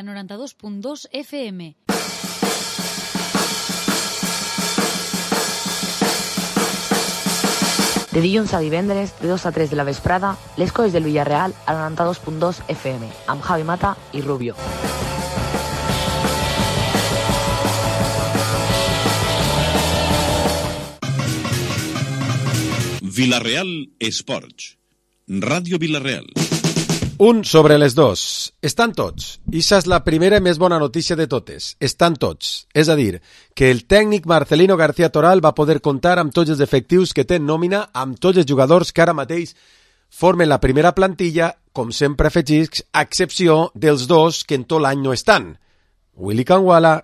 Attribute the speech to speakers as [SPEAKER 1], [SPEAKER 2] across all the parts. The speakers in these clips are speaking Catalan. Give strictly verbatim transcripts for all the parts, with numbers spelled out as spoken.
[SPEAKER 1] noranta-dos punt dos F M.
[SPEAKER 2] De dilluns a divendres, de dos a tres de la vesprada, les coses del Villarreal a noranta-dos punt dos F M, amb Javi Mata i Rubio.
[SPEAKER 3] Villarreal Esports. Ràdio Villarreal.
[SPEAKER 4] Un sobre les dos. Estan tots. I això és la primera i més bona notícia de totes. Estan tots. És a dir, que el tècnic Marcelino García Toral va poder comptar amb tots els efectius que té en nòmina, amb tots els jugadors que ara mateix formen la primera plantilla, com sempre afegits, a excepció dels dos que en tot l'any no estan. Willy Kangwala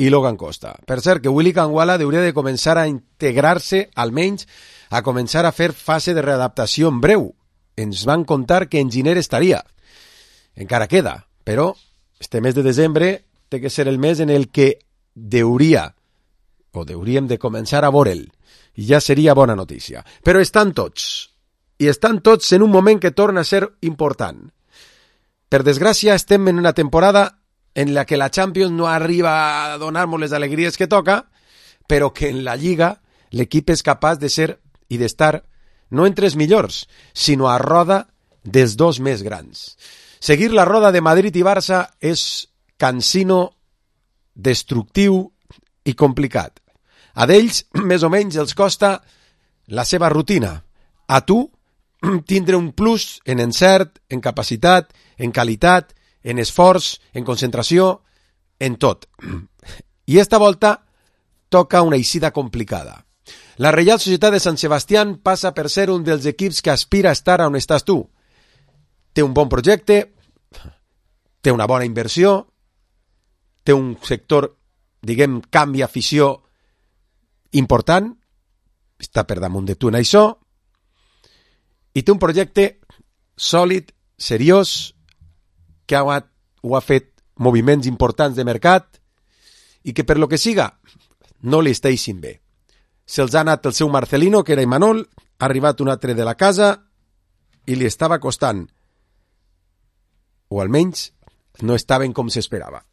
[SPEAKER 4] i Logan Costa. Per cert, que Willy Kangwala hauria de començar a integrar-se, almenys, a començar a fer fase de readaptació en breu. Ens van contar que en gener estaria. Encara queda, però este mes de desembre té que ser el mes en el que deuria, o deuríem de començar a veure'l, i ja seria bona notícia. Però estan tots, i estan tots en un moment que torna a ser important. Per desgràcia, estem en una temporada en la que la Champions no arriba a donar-nos les alegries que toca, però que en la Lliga l'equip és capaç de ser i d'estar no entre els millors, sinó a roda dels dos més grans. Seguir la roda de Madrid i Barça és cansino, destructiu i complicat. A d'ells, més o menys, els costa la seva rutina. A tu, tindre un plus en encert, en capacitat, en qualitat, en esforç, en concentració, en tot. I esta volta toca una eixida complicada. La Reial Societat de Sant Sebastián passa per ser un dels equips que aspira a estar on estàs tu. Té un bon projecte, té una bona inversió, té un sector, diguem, canvi afició important, està per damunt de tu en això, i té un projecte sòlid, seriós, que ha, ho ha fet moviments importants de mercat i que per lo que siga no li està eixint bé. Se'ls ha anat el seu Marcelino, que era Imanol, ha arribat un altre de la casa i li estava costant. O almenys no estaven com s'esperava.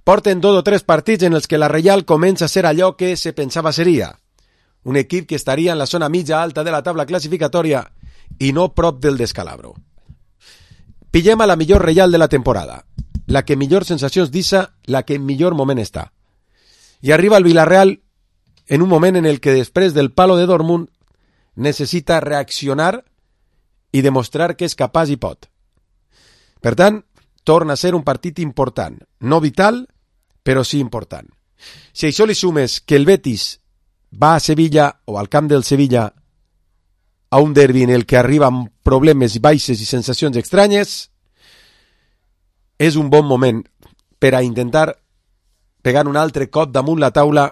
[SPEAKER 4] Porten dos o tres partits en els que la Reial comença a ser allò que se pensava seria. Un equip que estaria en la zona mitja alta de la taula classificatòria i no prop del descalabro. Pillem a la millor Reial de la temporada. La que millor sensacions deixa, la que en millor moment està. I arriba el Villarreal en un moment en el que després del palo de Dortmund necessita reaccionar i demostrar que és capaç i pot. Per tant, torna a ser un partit important, no vital, però sí important. Si això li sumes que el Betis va a Sevilla o al camp del Sevilla a un derbi en el que arriba amb problemes baixes i sensacions estranyes, és un bon moment per a intentar pegar un altre cop damunt la taula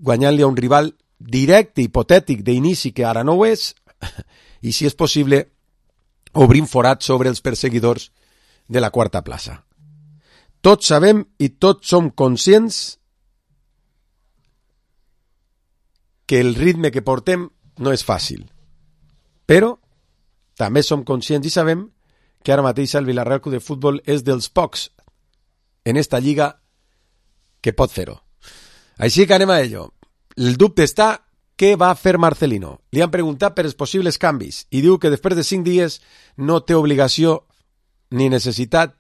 [SPEAKER 4] guanyant-li a un rival directe, hipotètic, d'inici, que ara no ho és, i, si és possible, obrim forat sobre els perseguidors de la quarta plaça. Tots sabem i tots som conscients que el ritme que portem no és fàcil. Però també som conscients i sabem que ara mateix el Villarreal Club de Futbol és dels pocs en esta lliga que pot fer-ho. Així que anem a ello. El dubte està què va fer Marcelino. Li han preguntat per els possibles canvis i diu que després de cinc dies no té obligació ni necessitat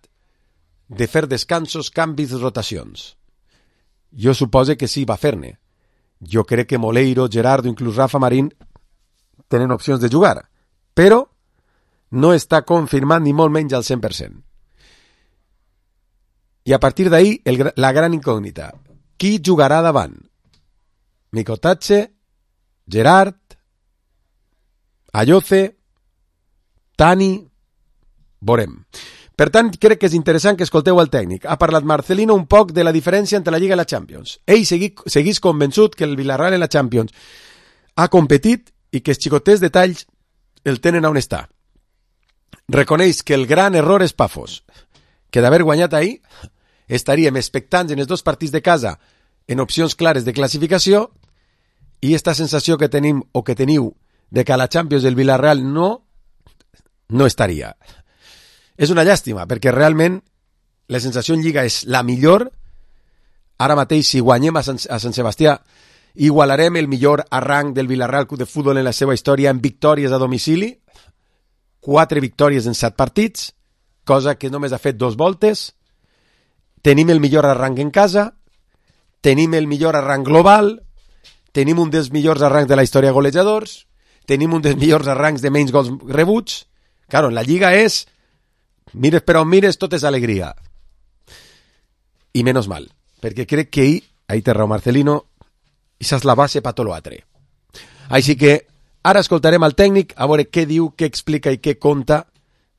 [SPEAKER 4] de fer descansos, canvis, rotacions. Jo supose que sí va fer-ne. Jo crec que Moleiro, Gerardo, inclús Rafa Marín tenen opcions de jugar, però no està confirmat ni molt menys al cent per cent. I a partir d'ahí, el, la gran incògnita. Qui jugarà davant? Micotatxe, Gerard, Ayoce, Tani, veurem. Per tant, crec que és interessant que escolteu el tècnic. Ha parlat Marcelino un poc de la diferència entre la Lliga i la Champions. Ell seguís convençut que el Villarreal en la Champions ha competit i que els xicotets detalls el tenen on està. Reconeix que el gran error és Pafos, que d'haver guanyat ahir estaríem expectants en els dos partits de casa en opcions clares de classificació i esta sensació que tenim o que teniu de que a la Champions el Villarreal no, no estaria. és una llàstima, perquè realment la sensació en Lliga és la millor. Ara mateix, si guanyem a Sant, a Sant Sebastià, igualarem el millor arranc del Villarreal Club de Futbol en la seva història en victòries a domicili, quatre victòries en set partits, cosa que només ha fet dos voltes. Tenim el millor arranc en casa, tenim el millor arranc global, tenim un dels millors arrancs de la història de golejadors, tenim un dels millors arrancs de menys gols rebuts. Claro, en la Lliga és, mires per on mires, tot és alegria. I menys mal, perquè crec que ahir, ahir té raó Marcelino, això és la base per tot l'altre. Així que ara escoltarem al tècnic a veure què diu, què explica i què conta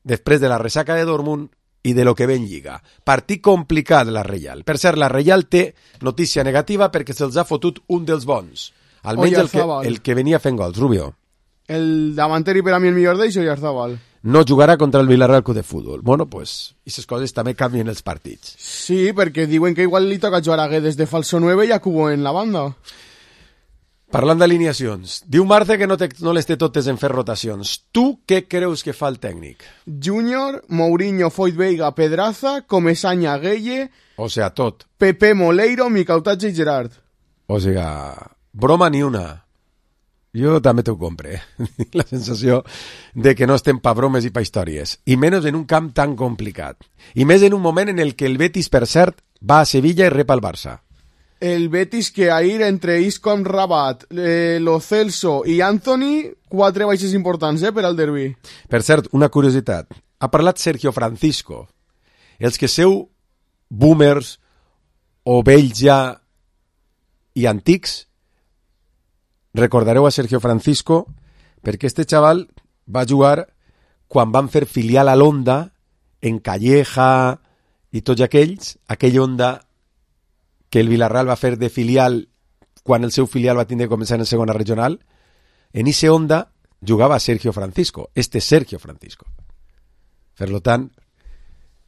[SPEAKER 4] després de la ressaca de Dortmund i de lo que ve en Lliga. Partit complicat la Reial. Per cert, la Reial té notícia negativa perquè se'ls ha fotut un dels bons. Almenys el que, el que venia fent gols, Rubio.
[SPEAKER 5] El davanter i per a mi el millor d'ells, Oyarzabal.
[SPEAKER 4] No jugarà contra el Villarreal Club de Futbol. Bueno, pues, aquestes coses també canvien els partits.
[SPEAKER 5] Sí, perquè diuen que igual li toca jugar a Guedes de falso nueve i a Cubo en la banda.
[SPEAKER 4] Parlant d'alineacions, diu Marce que no, te, no les té totes en fer rotacions. Tu què creus que fa el tècnic?
[SPEAKER 5] Júnior, Mourinho, Foyt Veiga, Pedraza, Comesaña, Gueye...
[SPEAKER 4] O sea, tot.
[SPEAKER 5] Pepe, Moleiro, Micautatge i Gerard.
[SPEAKER 4] O sea, broma ni una. Jo també t'ho compre. La sensació de que no estem pa bromes i pa històries. I menys en un camp tan complicat. I més en un moment en el que el Betis, per cert, va a Sevilla i rep al Barça.
[SPEAKER 5] El Betis que ahir entre Isco, Rabat, eh, Lo Celso i Anthony, quatre baixes importants eh, per al derbi.
[SPEAKER 4] Per cert, una curiositat. Ha parlat Sergio Francisco. Els que seu boomers o vells ja i antics, recordareu a Sergio Francisco perquè este xaval va jugar quan van fer filial a l'Onda en Calleja i tots aquells, aquell Onda que el Villarreal va fer de filial quan el seu filial va tindre que començar en segona regional. En ese Onda jugava Sergio Francisco, este Sergio Francisco. Per tant,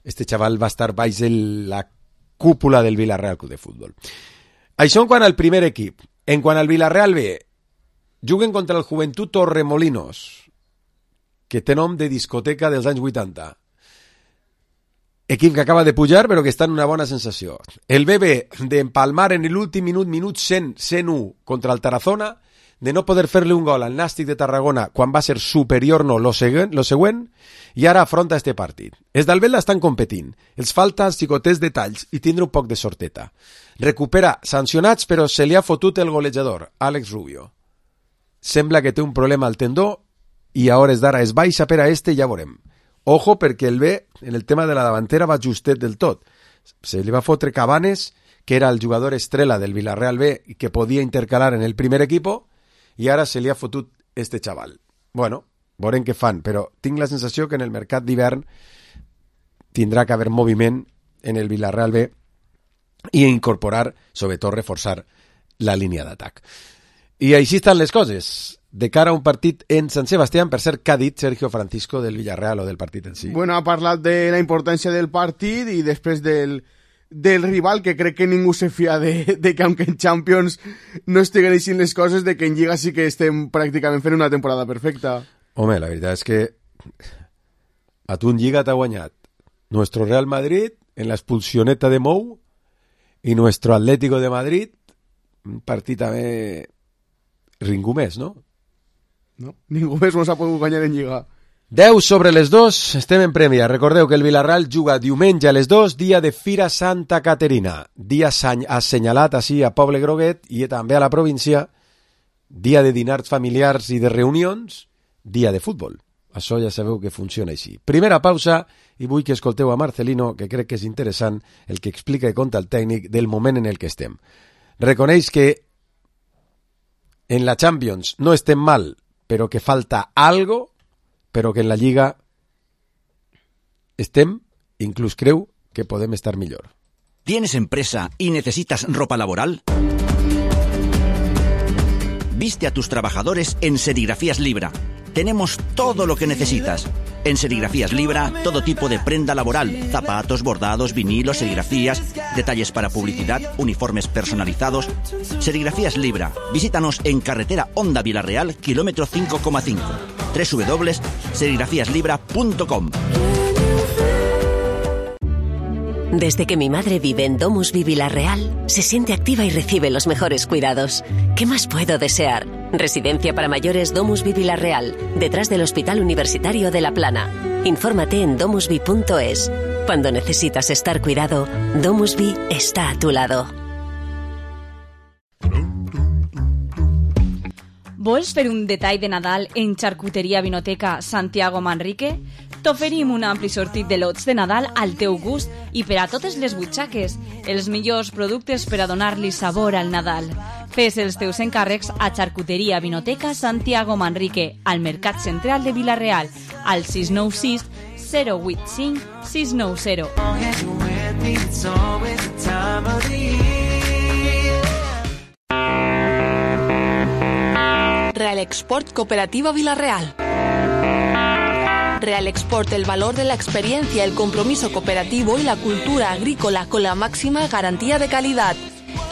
[SPEAKER 4] este xaval va estar baix de la cúpula del Villarreal Club de Futbol. Això en quant al primer equip. En quant al Villarreal B, juguen contra el Joventut Torremolinos, que té nom de discoteca dels anys vuitanta. Equip que acaba de pujar, però que està en una bona sensació. El B B d'empalmar en l'últim minut, minut cent, cent u contra el Tarazona, de no poder fer-li un gol al Nàstic de Tarragona quan va ser superior no lo següent, lo següent i ara afronta este partit. Els d'Albel estan competint. Els falta els xicotets detalls i tindre un poc de sorteta. Recupera sancionats, però se li ha fotut el golejador, Àlex Rubio. Sembla que té un problema al tendó i a hores d'ara es baixa per a este i ja veurem. Ojo, perquè el B, en el tema de la davantera, va justet del tot. Se li va fotre Cabanes, que era el jugador estrella del Villarreal B i que podia intercalar en el primer equipo, i ara se li ha fotut este xaval. Bueno, veurem què fan, però tinc la sensació que en el mercat d'hivern tindrà que haver moviment en el Villarreal B i incorporar, sobretot reforçar la línia d'atac. I així estan les coses. De cara a un partit en Sant Sebastián, per ser, què ha dit Sergio Francisco del Villarreal o del partit en si?
[SPEAKER 5] Bueno, ha parlat de la importància del partit i després del, del rival, que crec que ningú se fia de, de que, aunque en Champions no estiguen així les coses, de que en Lliga sí que estem pràcticament fent una temporada perfecta.
[SPEAKER 4] Home, la veritat és que a tu en Lliga t'ha guanyat nuestro Real Madrid en la expulsioneta de Mou i nuestro Atlético de Madrid, un partit també ningú més, no?
[SPEAKER 5] No, ningú més no s'ha pogut guanyar en Lliga.
[SPEAKER 4] deu sobre les dos, estem en prèmia. Recordeu que el Villarreal juga diumenge a les dos, dia de Fira Santa Caterina, dia assenyalat així a Poble Groguet i també a la província, dia de dinars familiars i de reunions, dia de futbol. Això ja sabeu que funciona així. Primera pausa i vull que escolteu a Marcelino, que crec que és interessant el que explica i conta el tècnic del moment en el que estem. Reconeix que en la Champions no estem mal, però que falta algo, però que en la Lliga estem, inclús creu que podem estar millor.
[SPEAKER 6] ¿Tienes empresa y necesitas ropa laboral? Viste a tus trabajadores en Serigrafías Libra. Tenemos todo lo que necesitas. En Serigrafías Libra, todo tipo de prenda laboral, zapatos, bordados, vinilos, serigrafías, detalles para publicidad, uniformes personalizados. Serigrafías Libra. Visítanos en carretera Onda Villarreal, kilómetro cinco coma cinco. doble u doble u doble u punto serigrafías libra punto com.
[SPEAKER 7] Desde que mi madre vive en Domusvi Vilarreal, se siente activa y recibe los mejores cuidados. ¿Qué más puedo desear? Residencia para mayores Domusvi Vilarreal, detrás del Hospital Universitario de La Plana. Infórmate en domusvi punto es. Cuando necesitas estar cuidado, Domusvi está a tu lado.
[SPEAKER 8] Vols fer un detall de Nadal en Xarcuteria Vinoteca Santiago Manrique? T'oferim un ampli sortit de lots de Nadal al teu gust i per a totes les butxaques, els millors productes per a donar-li sabor al Nadal. Fes els teus encàrrecs a Xarcuteria Vinoteca Santiago Manrique, al Mercat Central de Vila-real, al sis nou sis zero vuit cinc sis nou zero.
[SPEAKER 9] Real Export Cooperativa Vila-real. Real Export, el valor de la experiencia, el compromiso cooperativo y la cultura agrícola con la máxima garantía de calidad.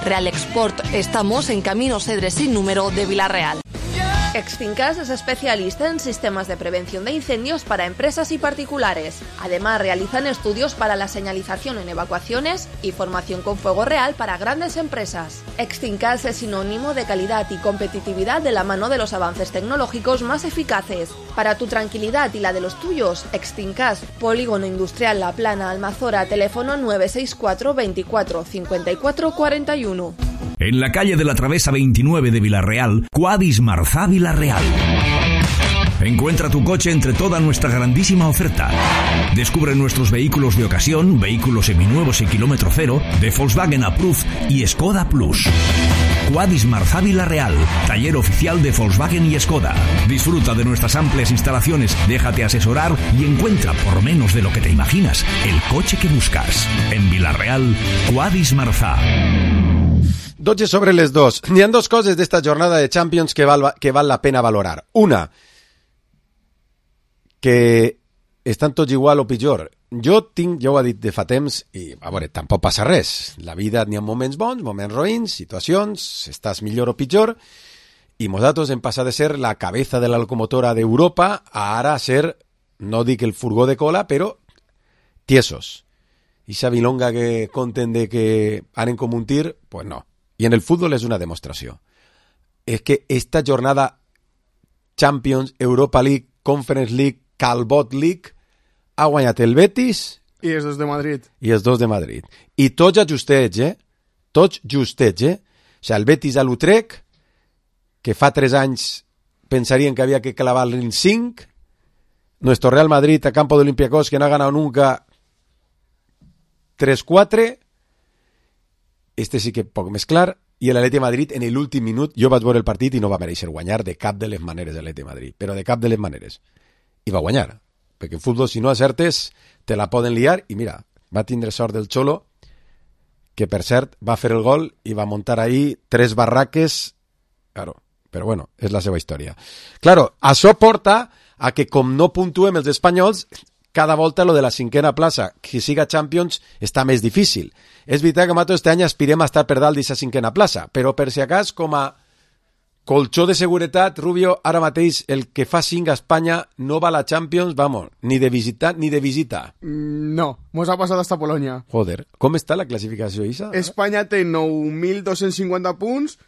[SPEAKER 9] Real Export, estamos en Camino Cedres sin número de Vila-real. Exfincas es especialista en sistemas de prevención de incendios para empresas y particulares. Además, realizan estudios para la señalización en evacuaciones y formación con fuego real para grandes empresas. Exfincas es sinónimo de calidad y competitividad de la mano de los avances tecnológicos más eficaces. Para tu tranquilidad y la de los tuyos, Exfincas, Polígono Industrial La Plana, Almazora, teléfono nueve seis cuatro veinticuatro cincuenta y cuatro cuarenta y uno.
[SPEAKER 10] En la calle de la Travesa veintinueve de Vila-real, Quadis Marzá Vila-real. Encuentra tu coche entre toda nuestra grandísima oferta. Descubre nuestros vehículos de ocasión, vehículos seminuevos y kilómetro cero, de Volkswagen Approved y Skoda Plus. Quadis Marzá Vila-real, taller oficial de Volkswagen y Skoda. Disfruta de nuestras amplias instalaciones, déjate asesorar y encuentra, por menos de lo que te imaginas, el coche que buscas. En Vila-real, Quadis Marzá.
[SPEAKER 4] dotze sobre les dos. N'hi ha dos coses d'esta jornada de Champions que val, que val la pena valorar. Una, que estan tots igual o pitjor. Jo tinc, ja ho he dit de fa temps, i a veure, tampoc passa res. La vida n'hi ha moments bons, moments roïns, situacions, estàs millor o pitjor, i nosaltres hem passat de ser la cabeza de la locomotora d'Europa a ara ser, no dic el furgó de cola, però tiesos. Ixa bilonga que conten de que anen com un tir, pues no. I en el futbol és una demostració. És que esta jornada Champions, Europa League, Conference League, Calbot League, ha guanyat el Betis
[SPEAKER 5] i els dos de Madrid.
[SPEAKER 4] I els dos de Madrid. I tots ajustets, eh? Tots justets, eh? O sigui, el Betis a l'Utrecht, que fa tres anys pensarien que havia que clavar-li en cinc, nuestro Real Madrid a campo de Olympiacos, que no ha ganado nunca tres quatre, este sí que poc més clar, i l'Atleti de Madrid en l'últim minut, jo vaig veure el partit i no va mereixer guanyar de cap de les maneres l'Atleti de Madrid, però de cap de les maneres. I va guanyar, perquè en futbol si no acertes te la poden liar, i mira, va tindre sort del Xolo, que per cert va fer el gol i va muntar ahí tres barraques, claro, però bueno, és la seva història. Claro, això porta a que com no puntuem els espanyols, cada volta lo de la cinquena plaça, que siga Champions, està més difícil. És veritat que nosaltres este any aspirem a estar per dalt d'aquesta cinquena plaça, però per si acas, com a colxó de seguretat, Rubio, ara mateix el que fa cinc a Espanya no va a la Champions, vamos, ni de visita ni de visita.
[SPEAKER 5] Mm, no, mos ha passat hasta Polònia.
[SPEAKER 4] Joder, com està la classificació, Isa?
[SPEAKER 5] Espanya té nou mil dos-cents cinquanta punts,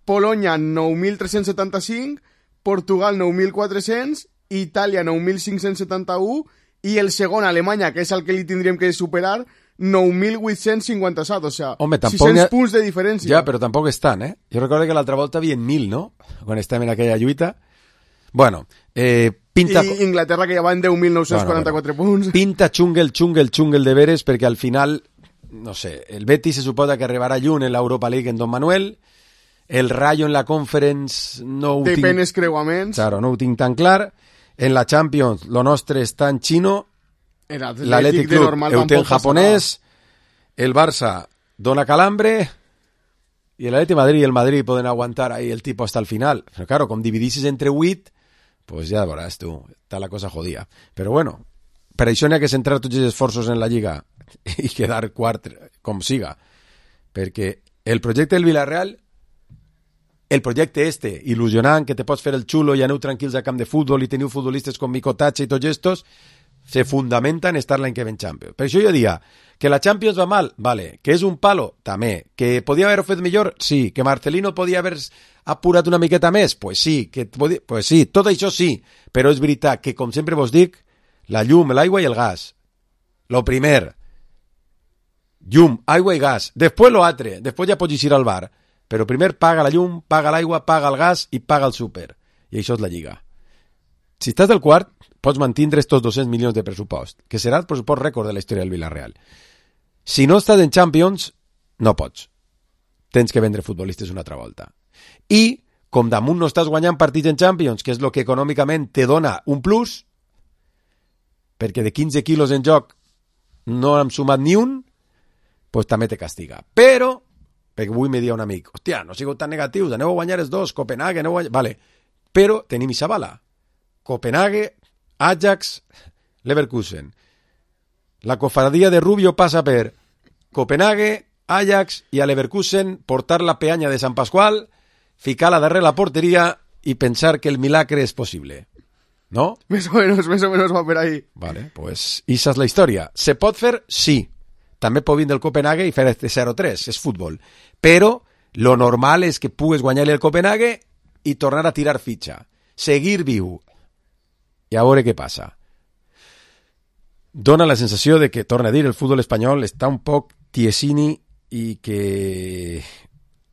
[SPEAKER 5] Polònia nou mil tres-cents setanta-cinc, Portugal nou mil quatre-cents, Itàlia nou mil cinc-cents setanta-u i el segon, Alemanya, que és el que li tindríem que superar, nou mil vuit-cents cinquanta-set, o sea,
[SPEAKER 4] Home,
[SPEAKER 5] sis-cents
[SPEAKER 4] ha...
[SPEAKER 5] punts de diferència.
[SPEAKER 4] Ja, però tampoc estan, eh? Jo recordo que l'altra volta havia mil, no? Quan estàvem en aquella lluita. Bueno, eh, pinta...
[SPEAKER 5] I Inglaterra, que ja va en deu mil nou-cents quaranta-quatre bueno, bueno. punts.
[SPEAKER 4] Pinta xungle, xungle, xungle de veres, perquè al final, no sé, el Betis se suposa que arribarà lluny en l'Europa League en Don Manuel, el Rayo en la Conference no ho
[SPEAKER 5] tinc...
[SPEAKER 4] Depèn
[SPEAKER 5] creuaments.
[SPEAKER 4] Claro, no ho tinc tan clar. En la Champions, lo nostre està en xino, l'Atlètic Club ho té en japonès, el Barça dona calambre i l'Atlètic de Madrid i el Madrid poden aguantar ahí el tipo hasta el final. Però claro, com dividissis entre vuit, pues ja veuràs tu, està la cosa jodida. Però bueno, per això n'hi ha que centrar tots els esforços en la Lliga i quedar quart com siga. Perquè el projecte del Villarreal, el projecte este, il·lusionant, que te pots fer el xulo i aneu tranquils al camp de futbol i teniu futbolistes com Mico Tatxa i tots estos, se fundamenta en estar l'any que ve en Champions. Per això jo diria Que la Champions va mal? Vale. Que és un palo? També. Que podia haver-ho fet millor? Sí. Que Marcelino podia haver apurat una miqueta més? Pues sí. Que podia... Pues sí. Tot això sí. Però és veritat que, com sempre vos dic, la llum, l'aigua i el gas. Lo primer. Llum, aigua i gas. Després lo altre. Després ja pots eixir al bar. Però primer paga la llum, paga l'aigua, paga el gas i paga el súper. I això és la Lliga. Si estàs del quart, pots mantindre estos dos-cents milions de pressupost, que serà el pressupost rècord de la història del Villarreal. Si no estàs en Champions, no pots. Tens que vendre futbolistes una altra volta. I, com damunt no estàs guanyant partits en Champions, que és el que econòmicament te dona un plus, perquè de quinze quilos en joc no hem sumat ni un, pues també te castiga. Però, perquè avui me dia un amic, hòstia, no sigueu tan negatius, aneu a guanyar els dos, Copenhague, aneu a guanyar... Vale, però tenim ixa bala. Copenhague, Ajax, Leverkusen. La cofradía de Rubio passa per Copenhague, Ajax i a Leverkusen portar la peanya de Sant Pasqual, ficar-la darrere la porteria i pensar que el milagre és possible. ¿No?
[SPEAKER 5] Més o menos, més o menos va per ahí.
[SPEAKER 4] Vale, pues esa és la història. Se pot fer? Sí. També pot vindre el Copenhague i fer este zero tres, és futbol. Però lo normal és que pugues guanyar-li el Copenhague i tornar a tirar fitxa. Seguir viu. I a veure què passa. Dona la sensació de que, torna a dir, el futbol espanyol està un poc tiesini i que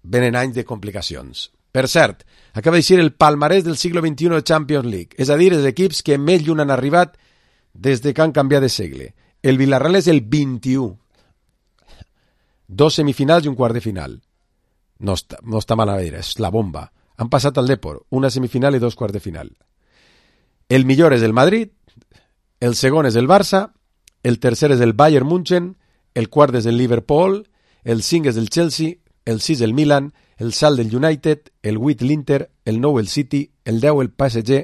[SPEAKER 4] venen anys de complicacions. Per cert, acaba d'eixir el palmarès del segle vint-i-u de Champions League, és a dir, els equips que més lluny han arribat des de que han canviat de segle. El Villarreal és el vint-i-u. Dos semifinals i un quart de final. No està, no està mal a veure, és la bomba. Han passat al Depor, una semifinal i dos quarts de final. El millor és el Madrid, el segon és el Barça, el tercer és el Bayern München, el quart és el Liverpool, el cinc és el Chelsea, el sis el Milan, el salt del United, el vuit l'Inter, el nou el City, el deu el P S G,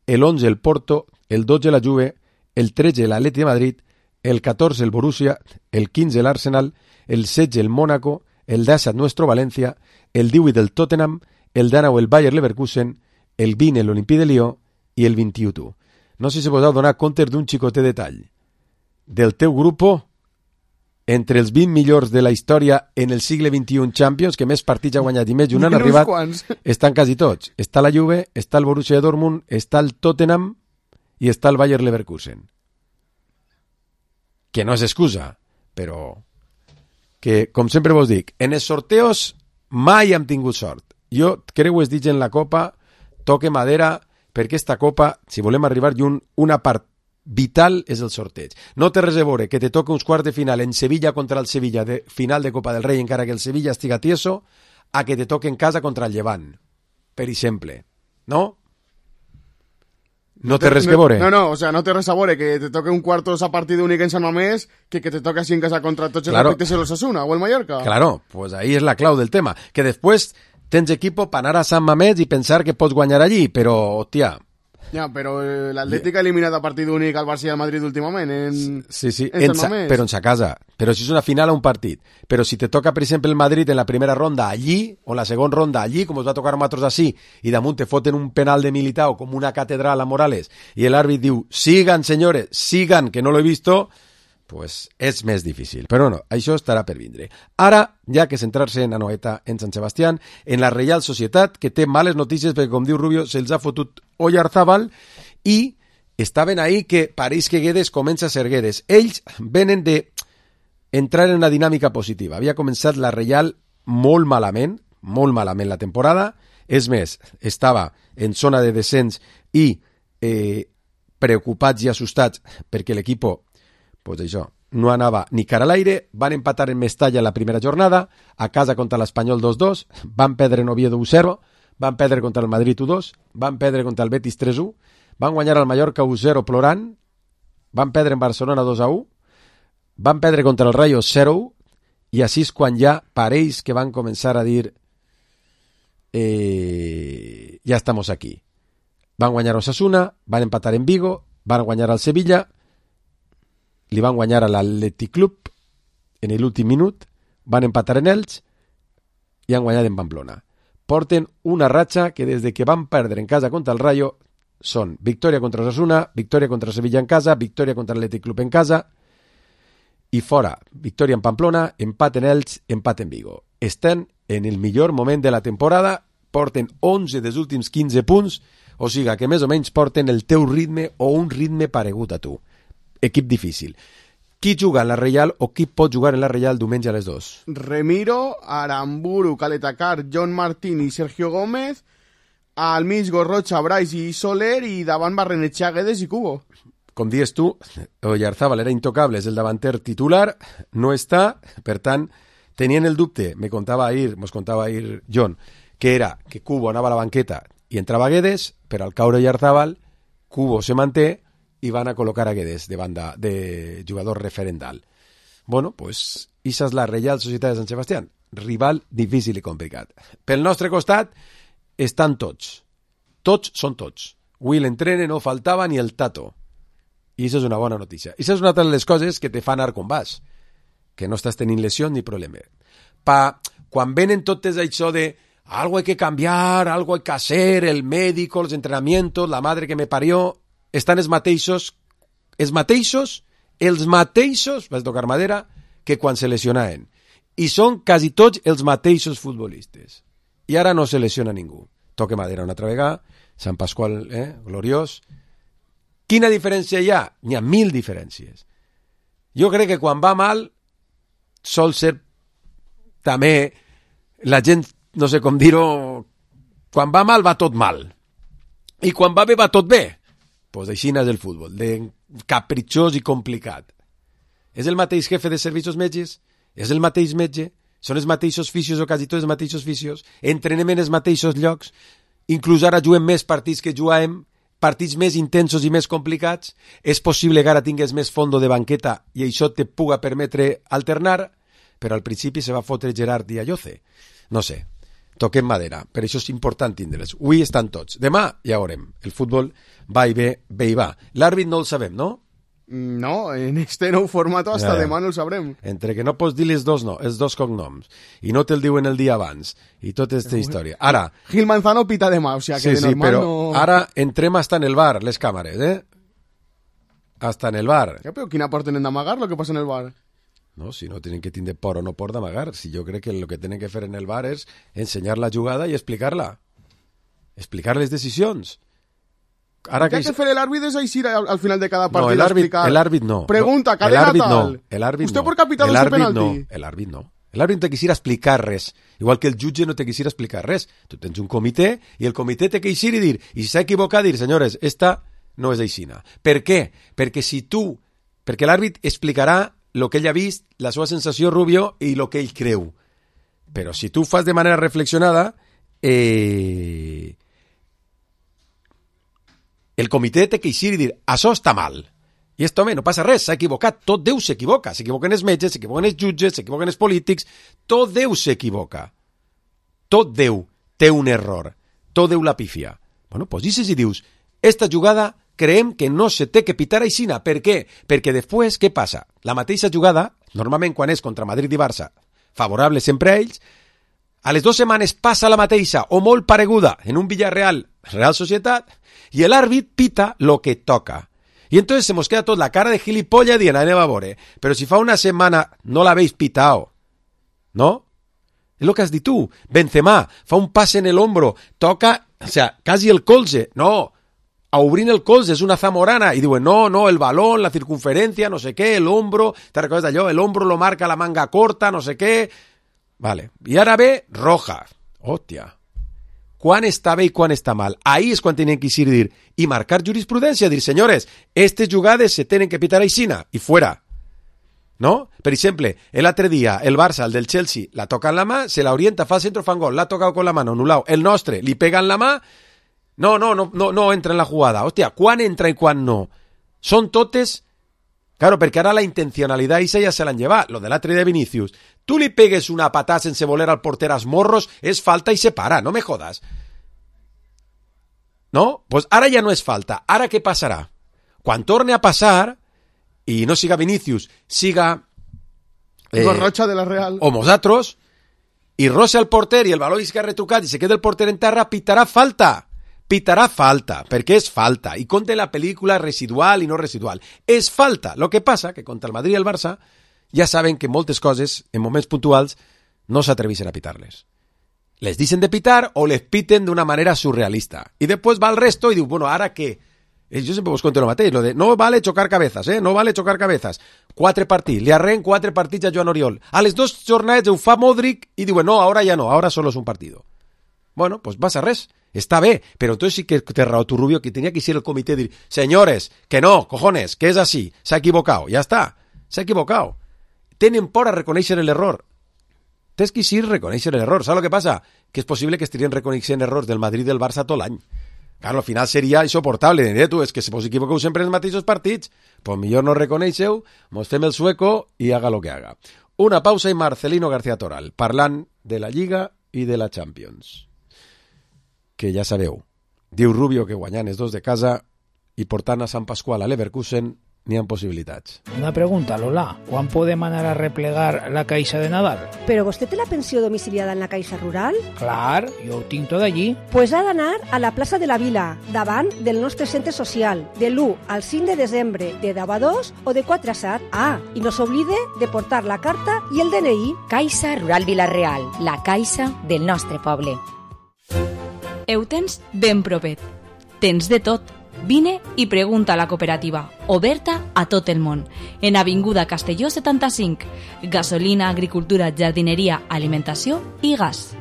[SPEAKER 4] el onze el Porto, el dotze la Juve, el tretze l'Atleti de Madrid, el catorze el Borussia, el quinze l'Arsenal, el setze el Mónaco, el disset nuestro València, el divuit el Tottenham, el dinou el Bayer Leverkusen, el vint l'Olimpí de Lió i el vint-i-u tu. No sé si vos heu donat compte d'un xicotet detall. Del teu grupo, entre els vint millors de la història en el segle vint-i-u Champions, que més partits ha guanyat i més i un han arribat, estan quasi tots. Està la Juve, està el Borussia Dortmund, està el Tottenham i està el Bayer Leverkusen. Que no és excusa, però que, com sempre vos dic, en els sorteos mai hem tingut sort. Jo crec que es dit en la Copa, toque madera, perquè esta Copa, si volem arribar lluny, una part vital és el sorteig. No té res a veure que te toque uns quarts de final en Sevilla contra el Sevilla, de final de Copa del Rei, encara que el Sevilla estiga tieso, a que te toque en casa contra el Llevant, per exemple. No? No té res que veure.
[SPEAKER 5] No, no, o sea, no té res a veure que te toque un cuartos a partit únic en Sant Mamés que que te toque así en casa contra tots els claro. Respectes en l'Osasuna o el Mallorca.
[SPEAKER 4] Claro, pues ahí és la clau del tema. Que després tens equipo per anar a Sant Mamés i pensar que pots guanyar allí, però, hòstia...
[SPEAKER 5] Ja, però eh, l'Atlètic ha eliminat a partit únic al Barça i al Madrid últimament en,
[SPEAKER 4] sí, sí,
[SPEAKER 5] en,
[SPEAKER 4] en sa, però en sa casa. Però si és una final a un partit. Però si te toca, per exemple, el Madrid en la primera ronda allí, o en la segona ronda allí, com us va tocar a nosaltres així, i damunt te foten un penal de Militao com una catedral a Morales, i l'àrbit diu, sigan, senyores, sigan, que no lo he visto, pues és més difícil. Però no, això estarà per vindre. Ara, ja que centrar-se en Anoeta, en Sant Sebastián, en la Reial Societat, que té males notícies perquè, com diu Rubio, se'ls ha fotut Oyarzabal i estaven ahí que pareix que Guedes comença a ser Guedes. Ells venen de entrar en una dinàmica positiva. Havia començat la Reial molt malament, molt malament la temporada. És més, estava en zona de descens i eh, preocupats i assustats perquè l'equip pues això, no anava ni cara a l'aire, van empatar en Mestalla la primera jornada, a casa contra l'Espanyol dos dos, van perdre en Oviedo u zero, van perdre contra el Madrid u dos, van perdre contra el Betis tres u, van guanyar al Mallorca u zero plorant, van perdre en Barcelona dos a u, van perdre contra el Rayo zero u, i així és quan ja pareix que van començar a dir eh, ja estamos aquí. Van guanyar a Osasuna, van empatar en Vigo, van guanyar al Sevilla, li van guanyar a l'Atlètic Club en l'últim minut, van empatar en Elx i han guanyat en Pamplona. Porten una ratxa que des de que van perdre en casa contra el Rayo són victòria contra Osasuna, victòria contra Sevilla en casa, victòria contra l'Atlètic Club en casa i fora, victòria en Pamplona, empat en Elx, empat en Vigo. Estan en el millor moment de la temporada, porten onze dels últims quinze punts, o sigui que més o menys porten el teu ritme o un ritme paregut a tu. Equip difícil. Qui juga en la Reial o qui pot jugar en la Reial diumenge a les dos?
[SPEAKER 5] Remiro, Aramburu, Caletacar, John Martín i Sergio Gómez, al mig Gorrocha, Brais i Soler, i davant Barrenetxea, Guedes i Cubo.
[SPEAKER 4] Com dius tu, Oyarzábal era intocable, és el davanter titular, no està, per tant, tenien el dubte, me contava ahir, mos contava ahir John, que era que Cubo anava a la banqueta i entrava Guedes, però al caure Oyarzábal, Cubo se manté i van a col·locar a Guedes de banda de jugador referendal. Bueno, pues, esa és la Reial Societat de Sant Sebastián, rival difícil i complicat. Pel nostre costat estan tots, tots són tots. Avui l'entrene no faltava ni el Tato. I això és una bona notícia. I això és una de les coses que te fan anar com vas, que no estàs tenint lesió ni problema. Pa, quan venen totes això de algo hay que cambiar, algo hay que hacer, el médico, los entrenamientos, la madre que me parió, estan els mateixos, els mateixos, els mateixos, vas tocar madera, que quan se lesionaven. I són quasi tots els mateixos futbolistes. I ara no se lesiona ningú. Toque madera una altra vegada, Sant Pasqual, eh, gloriós. Quina diferència hi ha? N'hi ha mil diferències. Jo crec que quan va mal sol ser també la gent, no sé com dir-ho, quan va mal va tot mal. I quan va bé va tot bé. Doncs així és el futbol, de capritxós i complicat. És el mateix jefe de servicis metges? És el mateix metge? Són els mateixos fisios o quasi tots els mateixos fisios? Entrenem en els mateixos llocs? Inclús ara juguem més partits que jugàvem, partits més intensos i més complicats? És possible que ara tingues més fondo de banqueta i això te puga permetre alternar, però al principi se va fotre Gerard i Ayoce. No sé, toquem madera, per això és important tindre'ls. Avui estan tots, demà ja veurem. El futbol va i ve, ve i va. L'àrbit no el sabem, no?
[SPEAKER 5] No, en este nou format hasta ja. Demà no el sabrem.
[SPEAKER 4] Entre que no pots dir els dos, no, els dos cognoms, i no te'l diuen el dia abans, i tota aquesta història. Ara...
[SPEAKER 5] Gil Manzano pita demà, o sigui que
[SPEAKER 4] sí,
[SPEAKER 5] de normal
[SPEAKER 4] sí, però
[SPEAKER 5] no...
[SPEAKER 4] ara entrem hasta en el bar, les càmeres, eh? Hasta en el bar.
[SPEAKER 5] Ja, però quina por tenen d'amagar lo que passa en el bar?
[SPEAKER 4] No, si no tenen que tindre por o no por d'amagar, si jo crec que el que tenen que fer en el bar és ensenyar la jugada i explicar-la. Explicar les decisions. Ara
[SPEAKER 5] que... que fer l'àrbit és així al, al final de cada partit.
[SPEAKER 4] No, el àrbit no.
[SPEAKER 5] Pregunta, cadena
[SPEAKER 4] tal.
[SPEAKER 5] No.
[SPEAKER 4] Usted
[SPEAKER 5] no. por capital ese penalti.
[SPEAKER 4] No. El àrbit no. El àrbit no te quisiera explicar res. Igual que el jutge no te quisiera explicar res. Tu tens un comitè i el comitè te quisiera dir, i si s'ha equivocat, dir, senyores, esta no és aixina. Per què? Perquè si tu... Perquè l'àrbit explicarà el que ell ha vist, la seva sensació, Rubio, i el que ell creu. Però si tu fas de manera reflexionada, eh... el comitè té que eixir i dir, això està mal. I esto, home, no passa res, s'ha equivocat. Tot Déu s'equivoca. S'equivoquen els metges, s'equivoquen els jutges, s'equivoquen els polítics. Tot Déu s'equivoca. Tot Déu té un error. Tot Déu la pifia. Bueno, doncs dices i dius, esta jugada creiem que no se té que pitar aixina. Per què? Perquè després, què passa? La mateixa jugada, normalment quan és contra Madrid i Barça, favorable sempre a ells, a les dues setmanes passa la mateixa o molt pareguda en un Villarreal, Real Societat, i l'àrbit pita lo que toca. I entonces se mos queda tot la cara de gilipollas dient, anem a veure, però si fa una setmana no l'habéis pitao, ¿no? És lo que has dit tu. Benzema fa un passe en el hombro, toca, o sea, quasi el colze, no, a obrint el colze, és una zamorana, i diuen, no, no, el balón, la circunferencia, no sé què, el hombro, te recordes d'allò, el hombro lo marca la manga corta, no sé què, vale, i ara ve roja, hòstia, quan està bé i quan està mal. Ahí és quan tenen que ir dir, i marcar jurisprudència, dir, senyores, aquestes jugades se tenen que pitar aixina, i fuera. ¿No? Per exemple, l'altre dia, el Barça, el del Chelsea, la toca en la mà, se la orienta, fa el centro, fa un gol, l'ha tocat con la mano, anulado. El nostre, li pega en la mà, no, no, no, no, no entra en la jugada. Hòstia, quan entra i quan no? Són totes... Claro, perquè ara la intencionalitat ja se l'han llevat, lo de l'altre de Vinicius. Tu li pegues una patada sense voler al porter als morros, és falta i se para, no me jodas. No? Pues ara ja no és falta. Ara què passarà? Quan torne a passar, i no siga Vinicius, siga...
[SPEAKER 5] Eh, Gorrocha de la Real.
[SPEAKER 4] O nosaltres, i roça el porter i el baló és que ha retrucat i se queda el porter en terra, pitarà falta. Pitarà falta, perquè és falta, i compte la pel·lícula residual i no residual. És falta. Lo que passa que contra el Madrid i el Barça ja saben que moltes coses, en moments puntuals, no s'atreveixen a pitar-les. Les deixen de pitar o les piten d'una manera surrealista. I després va al resto i diu, bueno, ara què? Jo sempre vos conto el mateix, lo de no vale chocar cabezas, eh? No vale chocar cabezas. Quatre partits, li arren quatre partits a Joan Oriol. A les dos jornades ho fa Modric i diuen, no, ahora ya no, ahora solo es un partido. Bueno, pues passa res. Està bé, però entonces sí que te raó tu Rubio, que tenía que ser el comité de dir, señores, que no, cojones, que es así, s'ha equivocado, ya está, s'ha equivocado. Tenen por a reconèixer l'error. Tens que sí reconèixer l'error. ¿Sabes lo que pasa? Que és possible que estirien reconeixent errors del Madrid i del Barça tot l'any. Claro, al final seria insoportable. Diré tu, és que si vos equivoqueu sempre en els mateixos partits, pues millor no reconeixeu, mos fem el sueco i haga lo que haga. Una pausa i Marcelino García Toral, parlant de la Lliga i de la Champions. Que ja sabeu, diu Rubio que guanyant els dos de casa i portant a Sant Pasqual a Leverkusen n'hi ha possibilitats.
[SPEAKER 11] Una pregunta, Lola. ¿Quan podem anar a replegar la caixa de Nadal?
[SPEAKER 12] ¿Pero vostè té la pensió domiciliada en la Caixa Rural?
[SPEAKER 11] Clar, jo ho tinc tot allí.
[SPEAKER 12] Pues ha d'anar a la plaça de la Vila, davant del nostre centre social, de l'u al cinc de desembre, de deu a dos o de quatre a set. Ah, i no s'oblide de portar la carta i el D N I.
[SPEAKER 13] Caixa Rural Vila-real, la caixa del nostre poble.
[SPEAKER 8] Heu tens ben propet. Tens de tot. Vine i pregunta a la cooperativa, oberta a tot el món, en Avinguda Castelló setanta-cinc. Gasolina, agricultura, jardineria, alimentació i gas.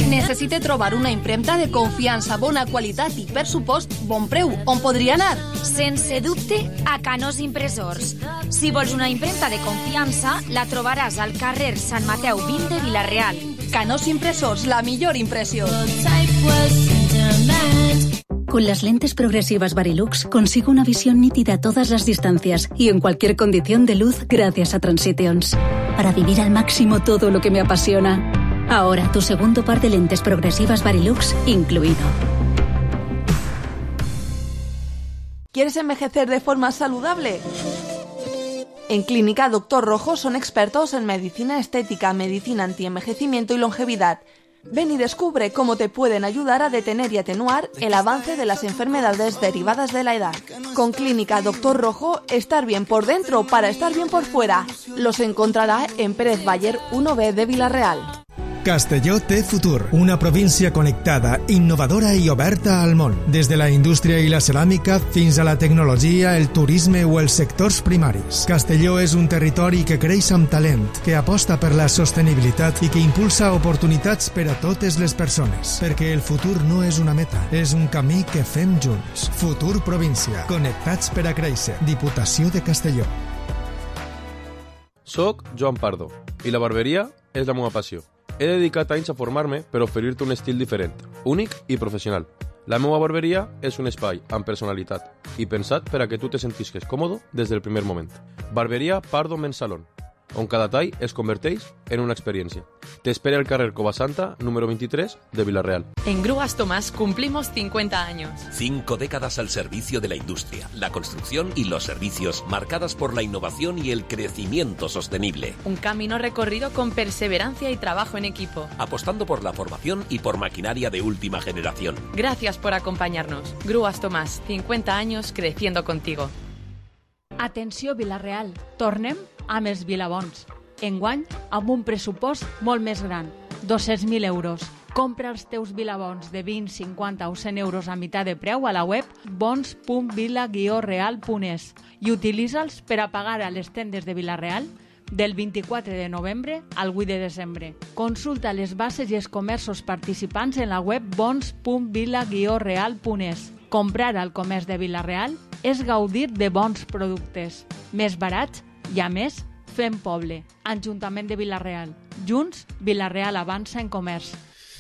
[SPEAKER 9] Necessite trobar una impremta de confiança, bona qualitat i, per supost, bon preu. On podria anar?
[SPEAKER 1] Sense dubte, a Canós Impressors. Si vols una impremta de confiança, la trobaràs al carrer Sant Mateu vint de Vila-real.
[SPEAKER 9] Canós Impressors, la millor impressió.
[SPEAKER 14] Con las lentes progresivas Varilux consigo una visión nítida a todas las distancias y en cualquier condición de luz gracias a Transitions. Para vivir al máximo todo lo que me apasiona. Ahora tu segundo par de lentes progresivas Varilux incluido.
[SPEAKER 9] ¿Quieres envejecer de forma saludable? En Clínica Doctor Rojo son expertos en medicina estética, medicina antienvejecimiento y longevidad. Ven y descubre cómo te pueden ayudar a detener y atenuar el avance de las enfermedades derivadas de la edad. Con Clínica Doctor Rojo, estar bien por dentro para estar bien por fuera. Los encontrará en Pérez Bayer uno B de Vila-real.
[SPEAKER 15] Castelló té futur, una província connectada, innovadora i oberta al món. Des de la indústria i la ceràmica fins a la tecnologia, el turisme o els sectors primaris. Castelló és un territori que creix amb talent, que aposta per la sostenibilitat i que impulsa oportunitats per a totes les persones. Perquè el futur no és una meta, és un camí que fem junts. Futur província, connectats per a créixer. Diputació de Castelló.
[SPEAKER 16] Soc Joan Pardo i la barberia és la meva passió. He dedicat anys a formar-me per oferir-te un estil diferent, únic i professional. La meva barberia és un espai amb personalitat i pensat per a que tu te sentisques còmodo des del primer moment. Barberia Pardo Men's Salon, on cada tall es converteix en una experiència. Te espera el carrer Covasanta, número veintitrés, de Vila-real.
[SPEAKER 17] En Grúas Tomás cumplimos cincuenta años.
[SPEAKER 18] Cinco décadas al servicio de la industria, la construcción y los servicios, marcadas por la innovación y el crecimiento sostenible.
[SPEAKER 17] Un camino recorrido con perseverancia y trabajo en equipo.
[SPEAKER 18] Apostando por la formación y por maquinaria de última generación.
[SPEAKER 17] Gracias por acompañarnos. Grúas Tomás, cincuenta años creciendo contigo.
[SPEAKER 19] Atenció Vila-real, tornem amb els Vilabons. Enguany, amb un pressupost molt més gran, dos-cents mil euros. Compra els teus Vilabons de vint, cinquanta o cent euros a meitat de preu a la web bons punt vila guió real punt es i utilitza'ls per a pagar a les tendes de Vila-real del vint-i-quatre de novembre al vuit de desembre. Consulta les bases i els comerços participants en la web bons punt vila guió real punt es. Comprar al comerç de Vila-real és gaudir de bons productes, més barats i, a més, fem poble. Ajuntament de Vila-real. Junts, Vila-real avança en comerç.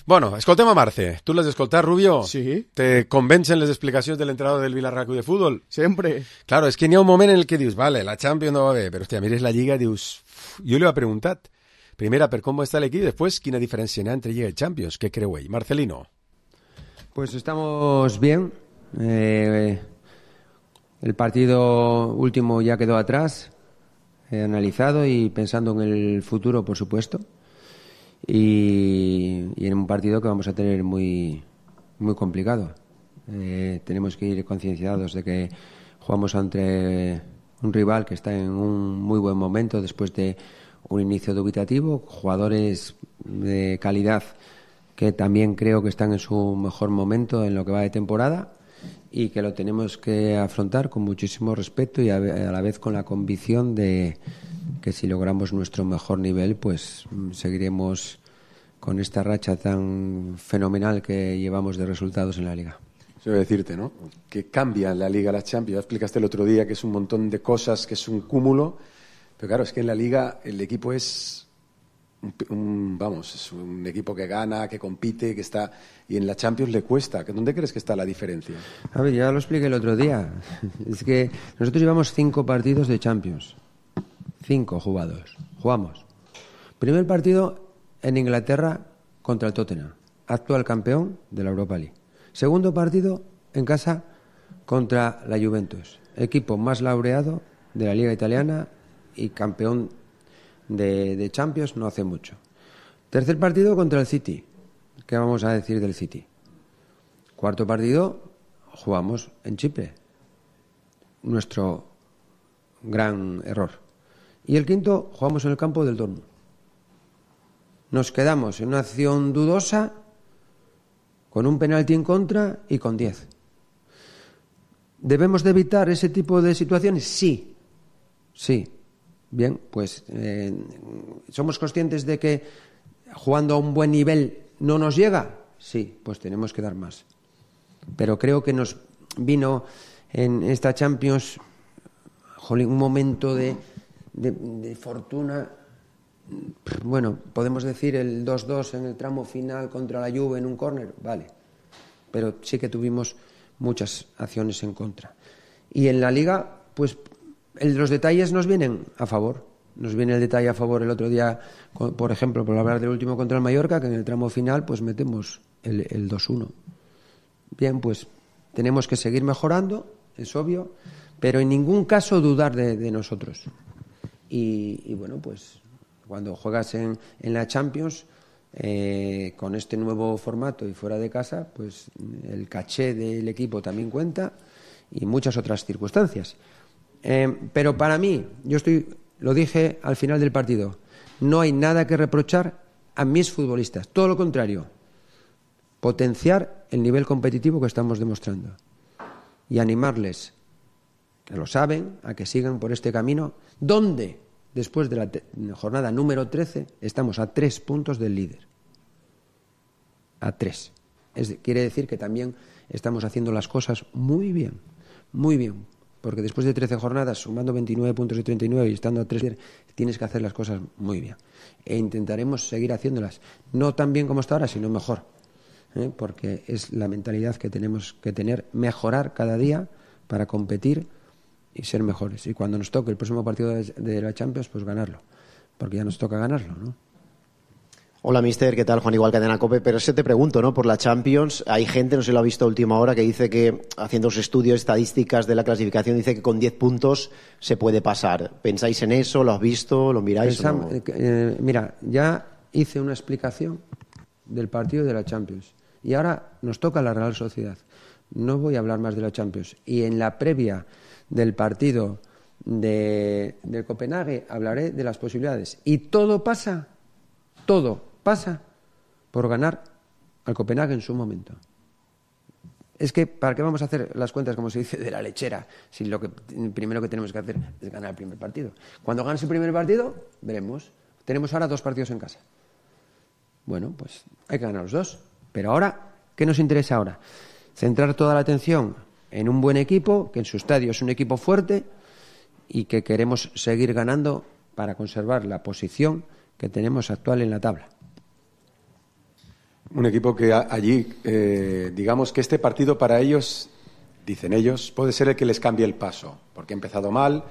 [SPEAKER 4] Bueno, escoltem a Marce. Tu l'has escoltat, Rubio?
[SPEAKER 5] Sí.
[SPEAKER 4] Te convencen les explicacions del entrenador del Vila-real Club de Fútbol?
[SPEAKER 5] Sempre.
[SPEAKER 4] Claro, es que n'hi ha un moment en el que dius, vale, la Champions no va bé, però hòstia, mires la Lliga i dius... Jo li he preguntat, primera, per com està l'equip, després, quina diferència n'hi ha entre Lliga i Champions? Què creu ell? Marcelino.
[SPEAKER 20] Pues estamos bien. Eh, el partido último ya quedó atrás. He analizado y pensando en el futuro, por supuesto, y, y en un partido que vamos a tener muy, muy complicado. Eh, tenemos que ir concienciados de que jugamos ante un rival que está en un muy buen momento después de un inicio dubitativo, jugadores de calidad que también creo que están en su mejor momento en lo que va de temporada y que lo tenemos que afrontar con muchísimo respeto y a la vez con la convicción de que si logramos nuestro mejor nivel, pues seguiremos con esta racha tan fenomenal que llevamos de resultados en la Liga.
[SPEAKER 4] Eso voy a decirte, ¿no? Que cambia la Liga, la Champions. Ya explicaste el otro día que es un montón de cosas, que es un cúmulo. Pero claro, es que en la Liga el equipo es un, un, vamos, es un equipo que gana, que compite, que está... Y en la Champions le cuesta. ¿Dónde crees que está la diferencia?
[SPEAKER 20] A ver, ya lo expliqué el otro día. Es que nosotros llevamos cinco partidos de Champions. Cinco jugados. Jugamos. Primer partido en Inglaterra contra el Tottenham, actual campeón de la Europa League. Segundo partido en casa contra la Juventus, equipo más laureado de la Liga Italiana y campeón de, de Champions no hace mucho. Tercer partido contra el City. ¿Qué vamos a decir del City? Cuarto partido, jugamos en Chipre. Nuestro gran error. Y el quinto, jugamos en el campo del Dortmund. Nos quedamos en una acción dudosa, con un penalti en contra y con diez. ¿Debemos de evitar ese tipo de situaciones? Sí, sí. Bien, pues eh, ¿somos conscientes de que jugando a un buen nivel no nos llega? Sí, pues tenemos que dar más. Pero creo que nos vino en esta Champions jolín, un momento de, de, de fortuna. Bueno, podemos decir el dos dos en el tramo final contra la Juve en un córner, vale, pero sí que tuvimos muchas acciones en contra. Y en la Liga, pues el, los detalles nos vienen a favor. Nos viene el detalle a favor el otro día, por ejemplo, por hablar del último contra el Mallorca, que en el tramo final pues metemos el, el dos uno. Bien, pues tenemos que seguir mejorando, es obvio, pero en ningún caso dudar de, de nosotros. Y, y bueno, pues cuando juegas en, en la Champions, eh, con este nuevo formato y fuera de casa, pues el caché del equipo también cuenta y muchas otras circunstancias. Eh, pero para mí, yo estoy, lo dije al final del partido, no hay nada que reprochar a mis futbolistas. Todo lo contrario, potenciar el nivel competitivo que estamos demostrando y animarles, que lo saben, a que sigan por este camino, donde después de la te- jornada número trece, estamos a tres puntos del líder. A tres. Es, quiere decir que también estamos haciendo las cosas muy bien, muy bien. Porque después de trece jornadas, sumando veintinueve puntos de treinta y nueve y estando a tres, tienes que hacer las cosas muy bien. E intentaremos seguir haciéndolas. No tan bien como hasta ahora, sino mejor. ¿eh? Porque es la mentalidad que tenemos que tener, mejorar cada día para competir y ser mejores. Y cuando nos toque el próximo partido de, de la Champions, pues ganarlo. Porque ya nos toca ganarlo, ¿no?
[SPEAKER 21] Hola, mister, ¿qué tal? Juan Igual, Cadena COPE. Pero ese te pregunto, ¿no? Por la Champions, hay gente, no sé si lo ha visto a última hora, que dice que, haciendo los estudios estadísticas de la clasificación, dice que con diez puntos se puede pasar. ¿Pensáis en eso? ¿Lo has visto? ¿Lo miráis?
[SPEAKER 20] Pensam-
[SPEAKER 21] o no?
[SPEAKER 20] eh, mira, ya hice una explicación del partido de la Champions. Y ahora nos toca la Real Sociedad. No voy a hablar más de la Champions. Y en la previa del partido de, de Copenhague hablaré de las posibilidades. Y todo pasa, todo pasa por ganar al Copenhague en su momento. Es que, ¿para qué vamos a hacer las cuentas, como se dice, de la lechera? Si lo que primero que tenemos que hacer es ganar el primer partido. Cuando ganes el primer partido, veremos. Tenemos ahora dos partidos en casa. Bueno, pues hay que ganar los dos. Pero ahora, ¿qué nos interesa ahora? Centrar toda la atención en un buen equipo, que en su estadio es un equipo fuerte y que queremos seguir ganando para conservar la posición que tenemos actual en la tabla.
[SPEAKER 4] Un equipo que a- allí, eh, digamos que este partido para ellos, dicen ellos, puede ser el que les cambie el paso, porque ha empezado mal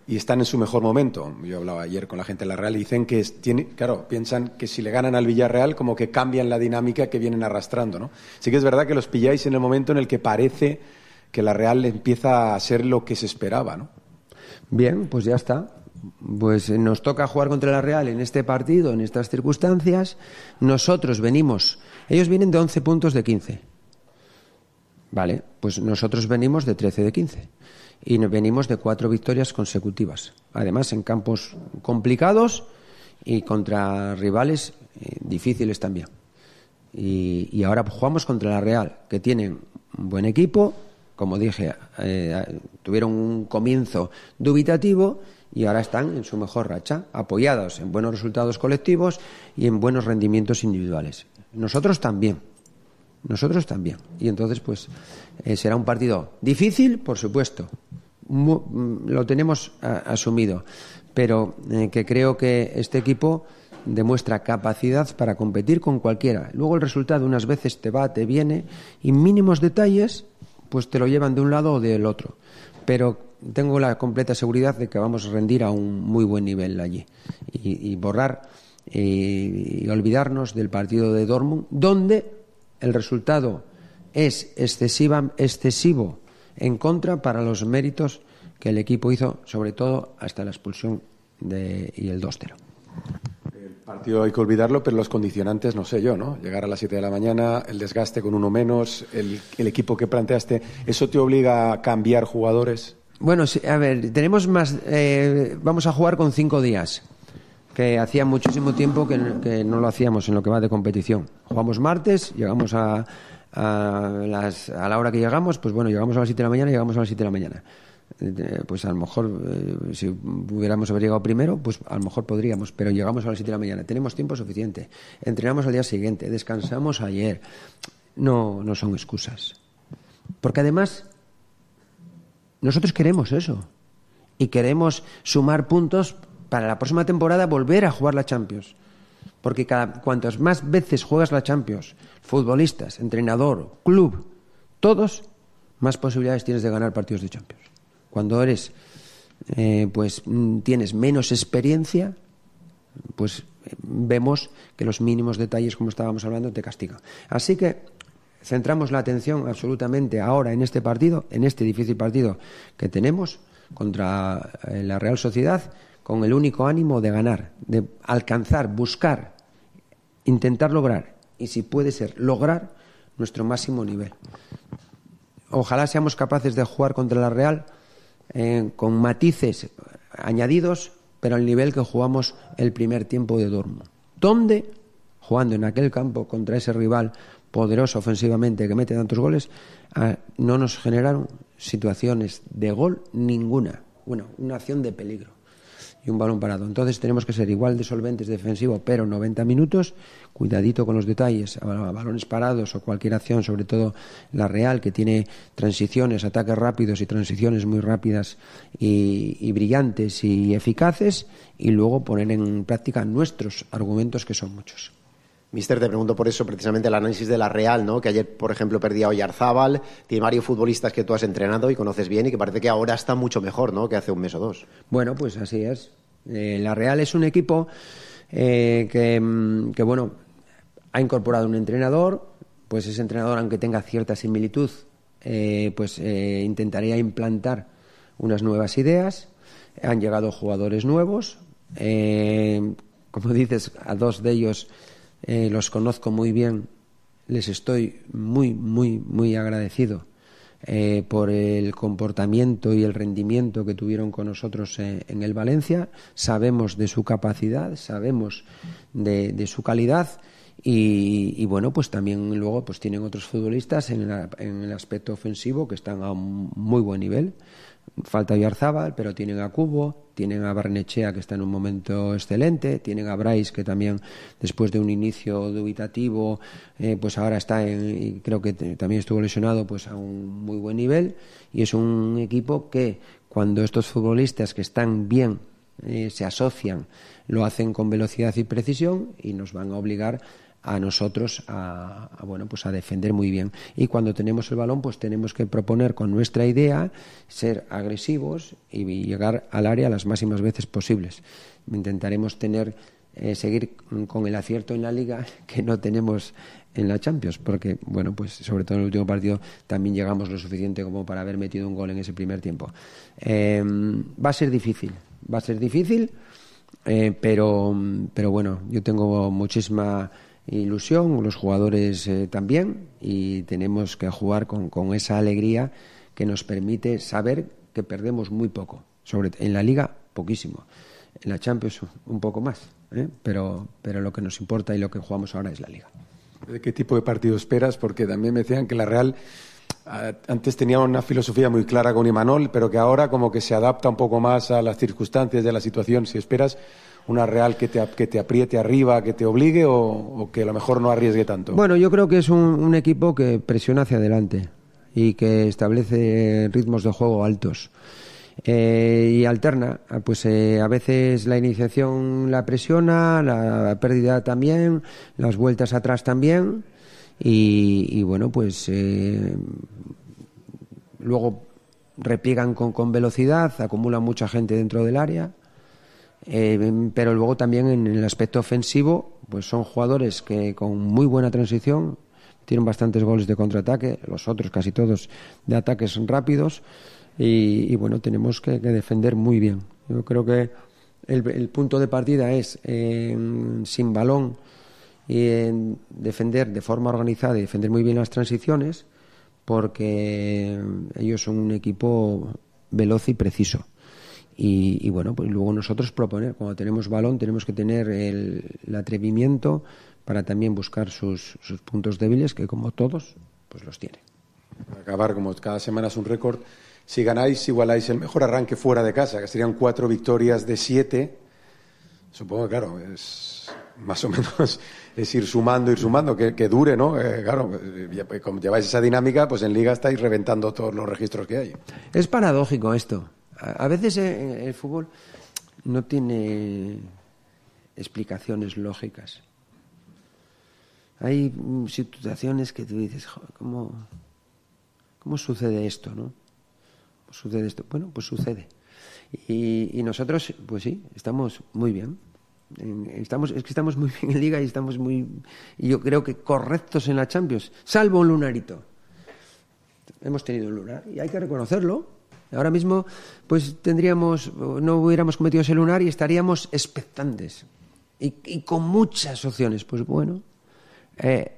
[SPEAKER 4] y están en su mejor momento. Yo hablaba ayer con la gente de la Real y dicen que, es- tiene, claro, piensan que si le ganan al Villarreal como que cambian la dinámica que vienen arrastrando, ¿no? Sí que es verdad que los pilláis en el momento en el que parece que la Real empieza a ser lo que se esperaba, ¿no?
[SPEAKER 20] Bien, pues ya está. Pues eh, nos toca jugar contra la Real en este partido, en estas circunstancias. Nosotros venimos, ellos vienen de once puntos de quince. Vale, pues nosotros venimos de trece de quince. y venimos de cuatro victorias consecutivas, además en campos complicados y contra rivales eh, difíciles también. Y, y ahora jugamos contra la Real, que tienen un buen equipo, como dije, eh, tuvieron un comienzo dubitativo y ahora están en su mejor racha, apoyados en buenos resultados colectivos y en buenos rendimientos individuales. Nosotros también, nosotros también. Y entonces, pues, eh, será un partido difícil, por supuesto, Mu- lo tenemos a, asumido, pero eh, que creo que este equipo demuestra capacidad para competir con cualquiera. Luego el resultado unas veces te va, te viene, y mínimos detalles pues te lo llevan de un lado o del otro. Pero tengo la completa seguridad de que vamos a rendir a un muy buen nivel allí y, y borrar y, y olvidarnos del partido de Dortmund, donde el resultado es excesiva, excesivo en contra para los méritos que el equipo hizo, sobre todo hasta la expulsión de, y el dos cero.
[SPEAKER 4] El partido hay que olvidarlo, pero los condicionantes, no sé yo, ¿no? Llegar a las siete de la mañana, el desgaste con uno menos, el, el equipo que planteaste, ¿eso te obliga a cambiar jugadores?
[SPEAKER 20] Bueno, sí, a ver, tenemos más, eh, vamos a jugar con cinco días, que hacía muchísimo tiempo que, que no lo hacíamos en lo que va de competición. Jugamos martes, llegamos a, a, las, a la hora que llegamos, pues bueno, llegamos a las siete de la mañana, llegamos a las siete de la mañana. Eh, pues a lo mejor, eh, si hubiéramos haber llegado primero, pues a lo mejor podríamos, pero llegamos a las siete de la mañana, tenemos tiempo suficiente, entrenamos al día siguiente, descansamos ayer. No, no son excusas. Porque además, nosotros queremos eso y queremos sumar puntos para la próxima temporada, volver a jugar la Champions, porque cada, cuantas más veces juegas la Champions, futbolistas, entrenador, club, todos, más posibilidades tienes de ganar partidos de Champions. Cuando eres, eh, pues tienes menos experiencia, pues vemos que los mínimos detalles, como estábamos hablando, te castigan. Así que centramos la atención absolutamente ahora en este partido, en este difícil partido que tenemos contra la Real Sociedad, con el único ánimo de ganar, de alcanzar, buscar, intentar lograr, y si puede ser, lograr nuestro máximo nivel. Ojalá seamos capaces de jugar contra la Real eh, con matices añadidos, pero al nivel que jugamos el primer tiempo de Dortmund, donde, jugando en aquel campo contra ese rival poderoso ofensivamente que mete tantos goles, eh, no nos generaron situaciones de gol ninguna. Bueno, una acción de peligro y un balón parado. Entonces tenemos que ser igual de solventes defensivo, pero noventa minutos, cuidadito con los detalles, balones parados o cualquier acción, sobre todo la Real, que tiene transiciones, ataques rápidos y transiciones muy rápidas y, y brillantes y eficaces, y luego poner en práctica nuestros argumentos, que son muchos.
[SPEAKER 21] Mister, te pregunto por eso, precisamente el análisis de la Real, ¿no? Que ayer, por ejemplo, perdía Oyarzábal, tiene varios futbolistas que tú has entrenado y conoces bien y que parece que ahora está mucho mejor, ¿no? Que hace un mes o dos.
[SPEAKER 20] Bueno, pues así es. Eh, la Real es un equipo eh, que, que, bueno, ha incorporado un entrenador, pues ese entrenador, aunque tenga cierta similitud, eh, pues eh, intentaría implantar unas nuevas ideas. Han llegado jugadores nuevos, eh, como dices, a dos de ellos Eh, los conozco muy bien, les estoy muy, muy, muy agradecido eh, por el comportamiento y el rendimiento que tuvieron con nosotros eh, en el Valencia. Sabemos de su capacidad, sabemos de, de su calidad y, y bueno, pues también luego pues tienen otros futbolistas en, la, en el aspecto ofensivo que están a un muy buen nivel. Falta Oyarzábal, pero tienen a Cubo, tienen a Barnechea, que está en un momento excelente, tienen a Brais, que también después de un inicio dubitativo eh, pues ahora está en, y creo que te, también estuvo lesionado, pues a un muy buen nivel, y es un equipo que cuando estos futbolistas que están bien eh, se asocian, lo hacen con velocidad y precisión y nos van a obligar a nosotros a, a bueno pues a defender muy bien, y cuando tenemos el balón pues tenemos que proponer con nuestra idea ser agresivos y llegar al área las máximas veces posibles. Intentaremos tener eh, seguir con el acierto en la Liga que no tenemos en la Champions, porque bueno pues sobre todo en el último partido también llegamos lo suficiente como para haber metido un gol en ese primer tiempo. Eh, va a ser difícil, va a ser difícil, eh, pero pero bueno, yo tengo muchísima ilusión, los jugadores eh, también, y tenemos que jugar con, con esa alegría que nos permite saber que perdemos muy poco. Sobre, en la Liga, poquísimo. En la Champions, un poco más. ¿eh? Pero, pero lo que nos importa y lo que jugamos ahora es la Liga.
[SPEAKER 4] ¿De qué tipo de partido esperas? Porque también me decían que la Real antes tenía una filosofía muy clara con Imanol, pero que ahora como que se adapta un poco más a las circunstancias de la situación. Si esperas una Real que te, que te apriete arriba, que te obligue, o, o que a lo mejor no arriesgue tanto.
[SPEAKER 20] Bueno, yo creo que es un, un equipo que presiona hacia adelante y que establece ritmos de juego altos. Eh, y alterna, pues eh, a veces la iniciación la presiona, la pérdida también, las vueltas atrás también, y, y bueno, pues eh, luego repliegan con, con velocidad, acumulan mucha gente dentro del área, eh, pero luego también en el aspecto ofensivo, pues son jugadores que con muy buena transición tienen bastantes goles de contraataque, los otros casi todos de ataques rápidos. Y, y bueno, tenemos que, que defender muy bien. Yo creo que el, el punto de partida es eh, sin balón y en defender de forma organizada y defender muy bien las transiciones, porque ellos son un equipo veloz y preciso. Y, y bueno, pues luego nosotros proponer, cuando tenemos balón tenemos que tener el, el atrevimiento para también buscar sus, sus puntos débiles, que como todos, pues los tienen.
[SPEAKER 4] Para acabar, como cada semana es un récord, si ganáis, igualáis el mejor arranque fuera de casa, que serían cuatro victorias de siete. Supongo que, claro, es más o menos es ir sumando, ir sumando, que, que dure, ¿no? Eh, claro, ya, como lleváis esa dinámica, pues en Liga estáis reventando todos los registros que hay.
[SPEAKER 20] Es paradójico esto. A, a veces el, el fútbol no tiene explicaciones lógicas. Hay situaciones que tú dices, ¿cómo, cómo sucede esto, no? Sucede esto. Bueno, pues sucede. Y, y nosotros, pues sí, estamos muy bien. Estamos, es que estamos muy bien en Liga y estamos muy, y yo creo que correctos en la Champions, salvo un lunarito. Hemos tenido un lunar y hay que reconocerlo. Ahora mismo, pues tendríamos, no hubiéramos cometido ese lunar y estaríamos expectantes. Y, y con muchas opciones. Pues bueno, eh,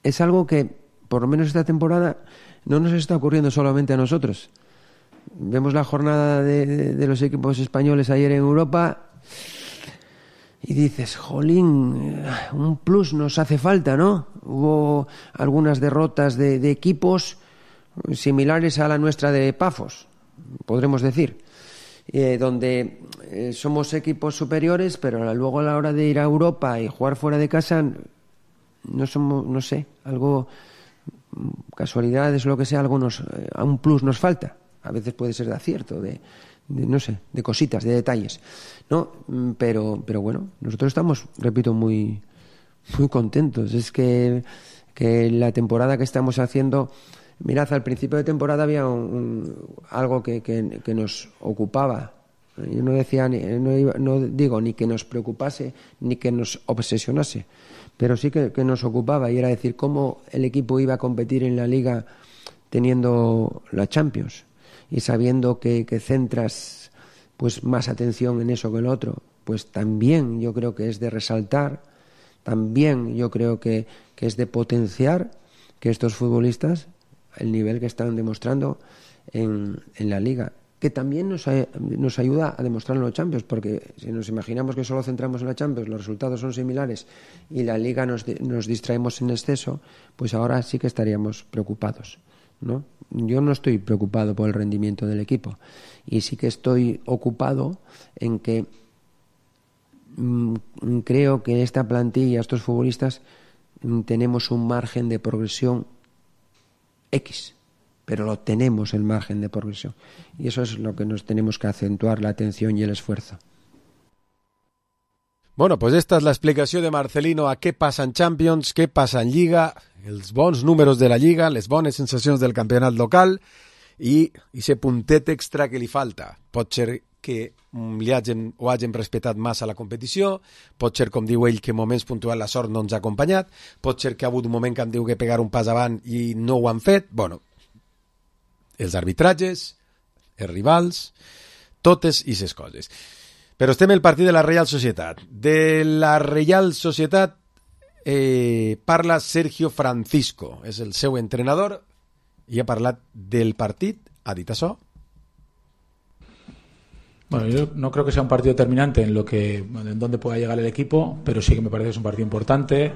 [SPEAKER 20] es algo que, por lo menos esta temporada, no nos está ocurriendo solamente a nosotros. Vemos la jornada de, de, de los equipos españoles ayer en Europa y dices, jolín, un plus nos hace falta, ¿no? Hubo algunas derrotas de, de equipos similares a la nuestra de Pafos, podremos decir, eh, donde eh, somos equipos superiores, pero luego a la hora de ir a Europa y jugar fuera de casa, no somos, no sé, algo... casualidades o lo que sea, algo nos, a un plus nos falta. A veces puede ser de acierto, de, de no sé, de cositas, de detalles, ¿no? Pero, pero bueno, nosotros estamos, repito, muy, muy contentos. Es que, que la temporada que estamos haciendo, mirad, al principio de temporada había un, un, algo que, que, que nos ocupaba. Yo no decía, no, iba, no digo ni que nos preocupase ni que nos obsesionase, pero sí que, que nos ocupaba, y era decir cómo el equipo iba a competir en la Liga teniendo la Champions y sabiendo que, que centras pues más atención en eso que en lo otro. Pues también yo creo que es de resaltar, también yo creo que, que es de potenciar que estos futbolistas, el nivel que están demostrando en, en la Liga, que también nos, nos ayuda a demostrarlo en los Champions, porque si nos imaginamos que solo centramos en la Champions, los resultados son similares y la Liga nos, nos distraemos en exceso, pues ahora sí que estaríamos preocupados, ¿no? Yo no estoy preocupado por el rendimiento del equipo y sí que estoy ocupado en que mmm, creo que esta plantilla, estos futbolistas, mmm, tenemos un margen de progresión X, pero lo tenemos, el margen de progresión, y eso es lo que nos tenemos que acentuar, la atención y el esfuerzo.
[SPEAKER 4] Bueno, pues esta és l'explicació de Marcelino a què passa en Champions, què passa en Lliga, els bons números de la Lliga, les bones sensacions del campionat local i aquest puntet extra que li falta. Pot ser que li hagin, o hagin respetat massa la competició, pot ser, com diu ell, que en moments puntuals la sort no ens ha acompanyat, pot ser que ha hagut un moment que han diu que pegar un pas avant i no ho han fet. Bueno, els arbitratges, els rivals, totes aquestes coses. Però estem al partit de la Reial Societat. De la Reial Societat eh, parla Sergio Francisco, és el seu entrenador, i ha parlat del partit, ha dit això,
[SPEAKER 11] Bueno, yo no creo que sea un partido determinante en lo que en dónde pueda llegar el equipo, pero sí que me parece que es un partido importante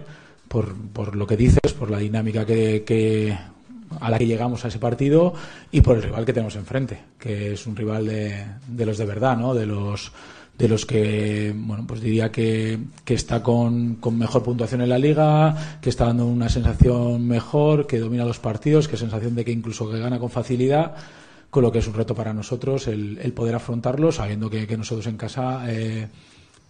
[SPEAKER 11] por, por lo que dices, por la dinámica que, que a la que llegamos a ese partido y por el rival que tenemos enfrente, que es un rival de, de los de verdad, ¿no? De los de los que, bueno, pues diría que, que está con, con mejor puntuación en la liga, que está dando una sensación mejor, que domina los partidos, que sensación de que incluso que gana con facilidad, con lo que es un reto para nosotros el, el poder afrontarlo, sabiendo que, que nosotros en casa eh,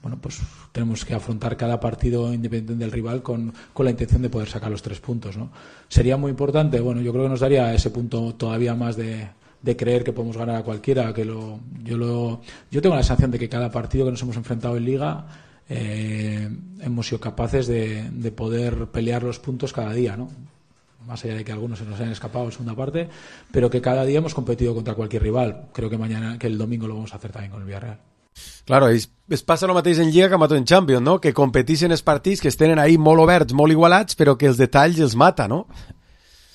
[SPEAKER 11] bueno, pues tenemos que afrontar cada partido independiente del rival con, con la intención de poder sacar los tres puntos, ¿no? Sería muy importante, bueno, yo creo que nos daría ese punto todavía más de de creer que podemos ganar a cualquiera, que lo yo lo yo tengo la sensación de que cada partido que nos hemos enfrentado en Liga eh, hemos sido capaces de, de poder pelear los puntos cada día, ¿no? Más allá de que algunos se nos hayan escapado en segunda parte, pero que cada día hemos competido contra cualquier rival. Creo que mañana, que el domingo lo vamos a hacer también con el Villarreal.
[SPEAKER 4] Claro, es, es passa el mateix en Lliga que mata en Champions, no? Que competissin els partits que estenen ahí molt oberts, molt igualats, però que els detalls els mata, no?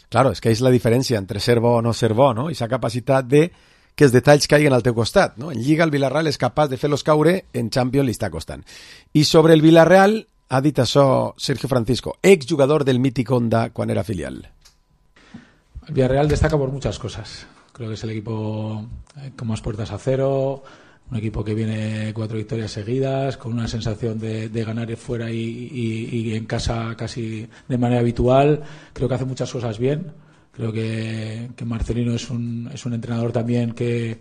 [SPEAKER 4] Claro, és que és la diferència entre ser bo o no ser bo, no? I esa capacitat de que els detalls caiguen al teu costat, no? En Lliga el Villarreal és capaç de fer-los caure, en Champions li està costant. I sobre el Villarreal ha dit això Sergio Francisco, exjugador del mític Honda quan era filial.
[SPEAKER 11] El Villarreal destaca por muchas cosas. Creo que es el equipo con más puertas a cero, un equipo que viene cuatro victorias seguidas, con una sensación de, de ganar fuera y, y, y en casa casi de manera habitual. Creo que hace muchas cosas bien. Creo que, que Marcelino es un, es un entrenador también que,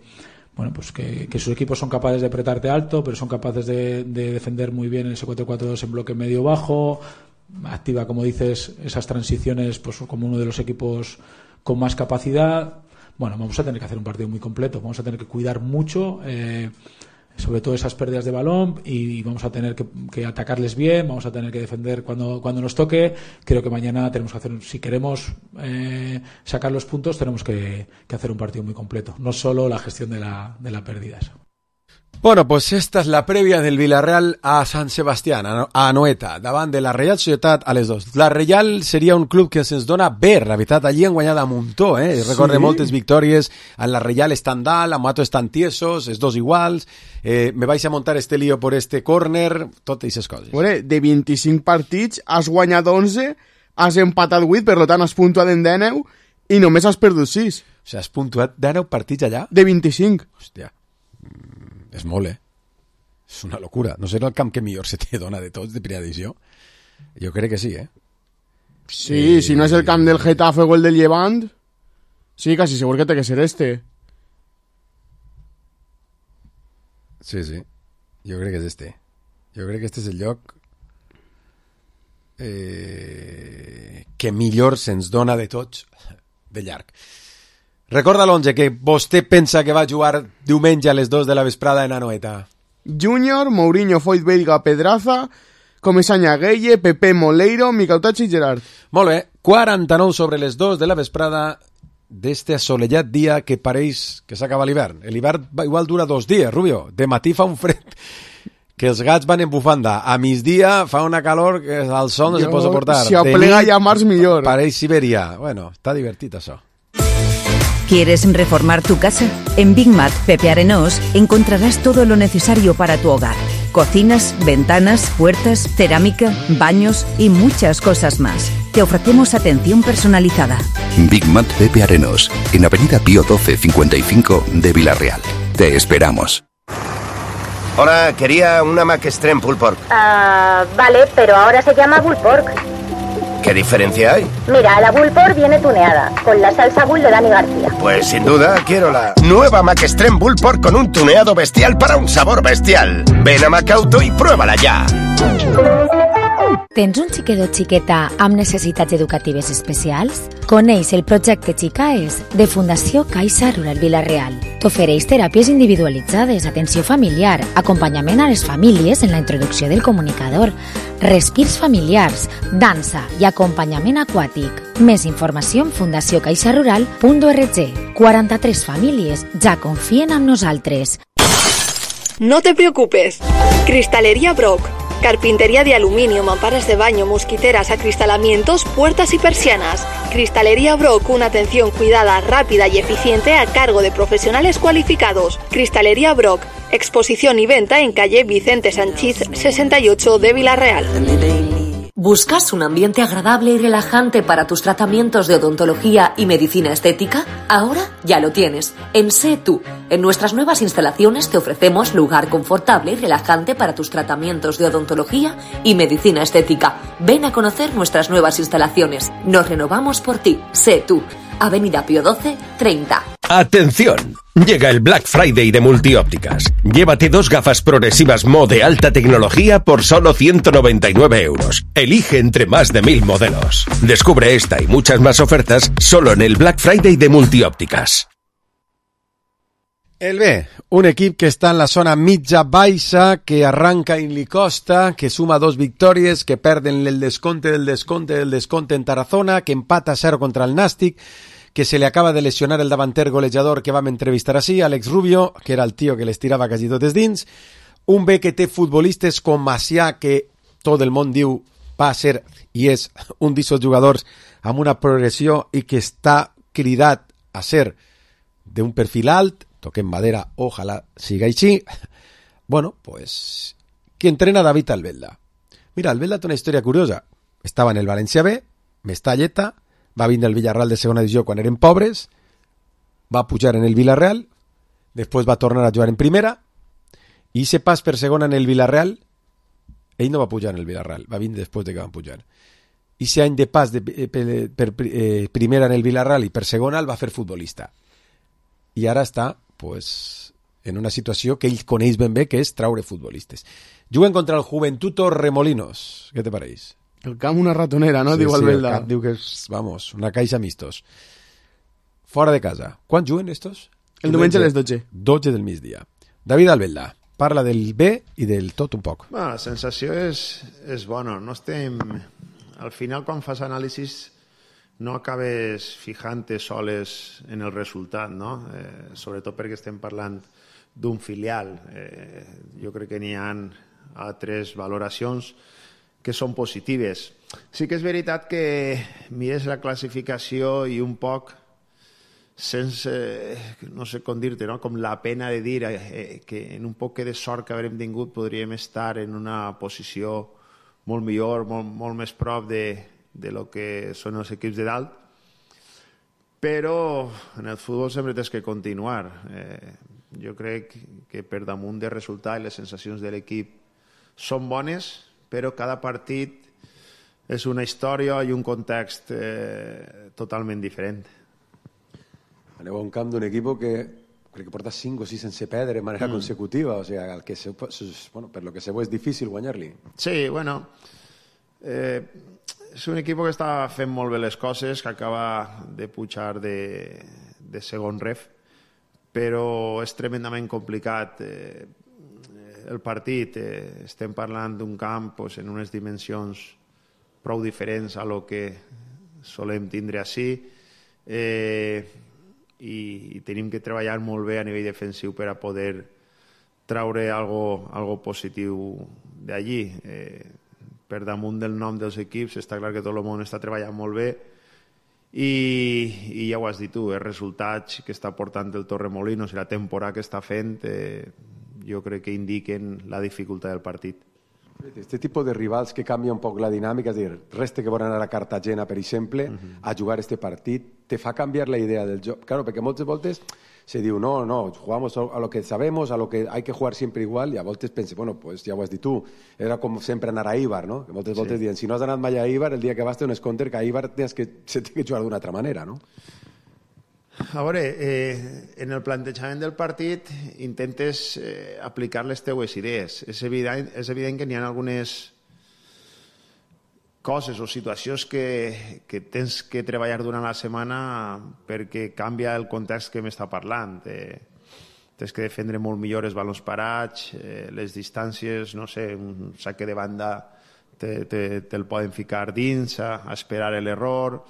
[SPEAKER 11] bueno, pues que, que sus equipos son capaces de apretarte alto, pero son capaces de, de defender muy bien en ese cuatro cuatro dos en bloque medio-bajo. Activa, como dices, esas transiciones pues como uno de los equipos con más capacidad. Bueno, vamos a tener que hacer un partido muy completo, vamos a tener que cuidar mucho, eh, sobre todo esas pérdidas de balón, y vamos a tener que, que atacarles bien, vamos a tener que defender cuando, cuando nos toque. Creo que mañana tenemos que hacer, si queremos eh, sacar los puntos, tenemos que, que hacer un partido muy completo, no solo la gestión de la, de la pérdidas.
[SPEAKER 4] Bueno, pues esta és la prèvia del Villarreal a Sant Sebastián, a Anoeta, davant de la Reial Societat a les dos. La Reial seria un club que se'ns dona bé, la veritat, allí han guanyat a muntó, eh? Sí. Recorde moltes victòries, en la Reial estan dalt, a Mato estan tiesos, els dos iguals, eh, me vais a montar este lío por este córner, totes aquestes coses.
[SPEAKER 5] Bueno, de vint-i-cinc partits has guanyat onze, has empatat vuit, per tant has puntuat en dinou i només has perdut sis.
[SPEAKER 4] O sigui, has puntuat dinou partits allà?
[SPEAKER 5] De vint-i-cinc.
[SPEAKER 4] Hòstia. És molt, eh? És una locura. No serà el camp que millor se te dona de tots de primera divisió? Jo crec que sí, eh?
[SPEAKER 5] Sí, eh... si no és el camp del Getafe o el del Llevant, sí, quasi segur que té que ser este.
[SPEAKER 4] Sí, sí. Jo crec que és este. Jo crec que este és el lloc eh... que millor se'ns dona de tots de llarg. Recorda l'onze que vostè pensa que va jugar diumenge a les dos de la vesprada en Anoeta.
[SPEAKER 5] Júnior, Mourinho, Foyt, Veiga, Pedraza, Comesaña, Gueye, Pepe, Moleiro, Miquel Tach i Gerard.
[SPEAKER 4] Molt bé, quaranta-nou sobre les dos de la vesprada d'este assolellat dia que pareix que s'acaba l'hivern. L'hivern igual dura dos dies, Rubio. De matí fa un fred que els gats van en bufanda. A migdia fa una calor que al sol no jo, se pot suportar.
[SPEAKER 5] Si aplega ja març millor.
[SPEAKER 4] Pareix Siberia. Bueno, està divertit això.
[SPEAKER 13] ¿Quieres reformar tu casa? En Big Mat Pepe Arenós encontrarás todo lo necesario para tu hogar. Cocinas, ventanas, puertas, cerámica, baños y muchas cosas más. Te ofrecemos atención personalizada.
[SPEAKER 2] Big Mat Pepe Arenós, en Avenida Pío doce cincuenta y cinco de Villarreal. Te esperamos.
[SPEAKER 22] Hola, quería una Mac Extreme Pulled Pork.
[SPEAKER 23] Ah, uh, vale, pero ahora se llama Pulled Pork.
[SPEAKER 22] ¿Qué diferencia hay?
[SPEAKER 23] Mira, la Bull Pork viene tuneada, con la salsa Bull de Dani García.
[SPEAKER 22] Pues sin duda quiero la nueva Mac Extreme Bull Pork con un tuneado bestial para un sabor bestial. Ven a Macauto y pruébala ya.
[SPEAKER 13] Tens un xiquet o xiqueta amb necessitats educatives especials? Coneix el projecte Xicaes de Fundació Caixa Rural Villarreal. T'ofereix teràpies individualitzades, atenció familiar, acompanyament a les famílies en la introducció del comunicador, respirs familiars, dansa i acompanyament aquàtic. Més informació en fundació caixa rural punt org. quaranta-tres famílies ja confien en nosaltres.
[SPEAKER 24] No te preocupes. Cristalería Brock.
[SPEAKER 9] Carpintería de aluminio, mamparas de baño, mosquiteras, acristalamientos, puertas y persianas. Cristalería Brock, una atención cuidada, rápida y eficiente a cargo de profesionales cualificados. Cristalería Brock, exposición y venta en calle Vicente Sanchiz sesenta y ocho de Villarreal.
[SPEAKER 3] ¿Buscas un ambiente agradable y relajante para tus tratamientos de odontología y medicina estética? Ahora ya lo tienes. En Sé Tú. En nuestras nuevas instalaciones te ofrecemos lugar confortable y relajante para tus tratamientos de odontología y medicina estética. Ven a conocer nuestras nuevas instalaciones. Nos renovamos por ti. Sé Tú. Avenida Pío doce, treinta.
[SPEAKER 22] ¡Atención! Llega el Black Friday de Multiópticas. Llévate dos gafas progresivas Mo de alta tecnología por solo ciento noventa y nueve euros. Elige entre más de mil modelos. Descubre esta y muchas más ofertas solo en el Black Friday de Multiópticas.
[SPEAKER 4] El B, un equip que està en la zona mitja-baixa, que arranca en li costa, que suma dos victòries, que perden el desconte del desconte del desconte en Tarazona, que empata a cero contra el Nàstic, que se le acaba de lesionar el davanter golejador que vam entrevistar així, Àlex Rubio, que era el tio que les tirava quasi totes dins, un B que té futbolistes com Macià, que tot el món diu va ser i és un d'aquests jugadors amb una progressió i que està cridat a ser d'un perfil alt, toquem madera, ojalà siga així. Bueno, pues, que entrena David Albelda. Mira, Albelda té una història curiosa. Estava en el València B, Mestalleta, va vindre al Villarreal de segona divisió quan eren pobres, va pujar en el Villarreal, després va tornar a jugar en primera, i se pas per segona en el Villarreal, ell no va pujar en el Villarreal, va vindre després de que van pujar. I ese any de pas de, per, per eh, primera en el Villarreal i per segona el va fer futbolista. I ara està pues, en una situació que ell coneix ben bé, que és traure futbolistes. Juguen contra el Juventuto Remolinos. Què te pareix?
[SPEAKER 5] El camp una ratonera, no?
[SPEAKER 4] Sí,
[SPEAKER 5] diu
[SPEAKER 4] sí,
[SPEAKER 5] Albelda.
[SPEAKER 4] el camp diu que és, vamos, una caixa mistos. Fora de casa. Quan juguen estos?
[SPEAKER 5] El diumenge a les dotze.
[SPEAKER 4] dotze del migdia. David Albelda, parla del B i del tot un poc.
[SPEAKER 6] Bueno, la sensació és, és bona. No estem... Al final, quan fas anàlisis, no acabes fijant-te soles en el resultat, no? Eh, sobretot perquè estem parlant d'un filial. Eh, jo crec que n'hi ha altres valoracions que són positives. Sí que és veritat que mires la classificació i un poc sense, no sé com dir-te, no? Com la pena de dir eh, que en un poc de sort que haurem tingut podríem estar en una posició molt millor, molt, molt més prop de de lo que són els equips de dalt, però en el futbol sempre tens que continuar. Eh, jo crec que per damunt del resultat i les sensacions de l'equip són bones, però cada partit és una història i un context eh, totalment diferent.
[SPEAKER 4] Aneu a un camp d'un equip que crec que porta cinc o sis sense perdre de manera mm. consecutiva, o sigui, el que se, bueno, per lo que se veu és difícil guanyar-li.
[SPEAKER 6] Sí, bueno... Eh, és un equip que està fent molt bé les coses, que acaba de pujar de, de segon ref, però és tremendament complicat. Eh, el partit, eh, estem parlant d'un camp pues, en unes dimensions prou diferents a lo que solem tindre així, eh, i, i tenim que treballar molt bé a nivell defensiu per a poder traure algo, algo positiu d'allí. Eh, per damunt del nom dels equips està clar que tot el món està treballant molt bé i, i ja ho has dit tu, els resultats que està portant el Torremolinos i la temporada que està fent eh, jo crec que indiquen la dificultat del partit.
[SPEAKER 4] Este tipus de rivals que canvia un poc la dinàmica, és a dir, resta que volen anar a Cartagena, per exemple, uh-huh. a jugar este partit, te fa canviar la idea del joc. Claro, perquè moltes voltes se diu, no, no, jugamos a lo que sabemos, a lo que hay que jugar siempre igual, i a voltes penses, bueno, pues ja ho has dit tu, era com sempre anar a Eibar, no? Que moltes voltes sí. diuen, si no has anat mai a Eibar, el dia que vas té un escompte que a Eibar tens que, se té que jugar d'una altra manera, no?
[SPEAKER 6] A veure, eh, en el plantejament del partit intentes eh, aplicar les teues idees. És evident, és evident que n'hi ha algunes coses o situacions que, que tens que treballar durant la setmana perquè canvia el context que m'està parlant. Eh, tens que defendre molt millor els balons parats, eh, les distàncies, no sé, un saque de banda te'l te, te poden ficar dins, a, a esperar l'error.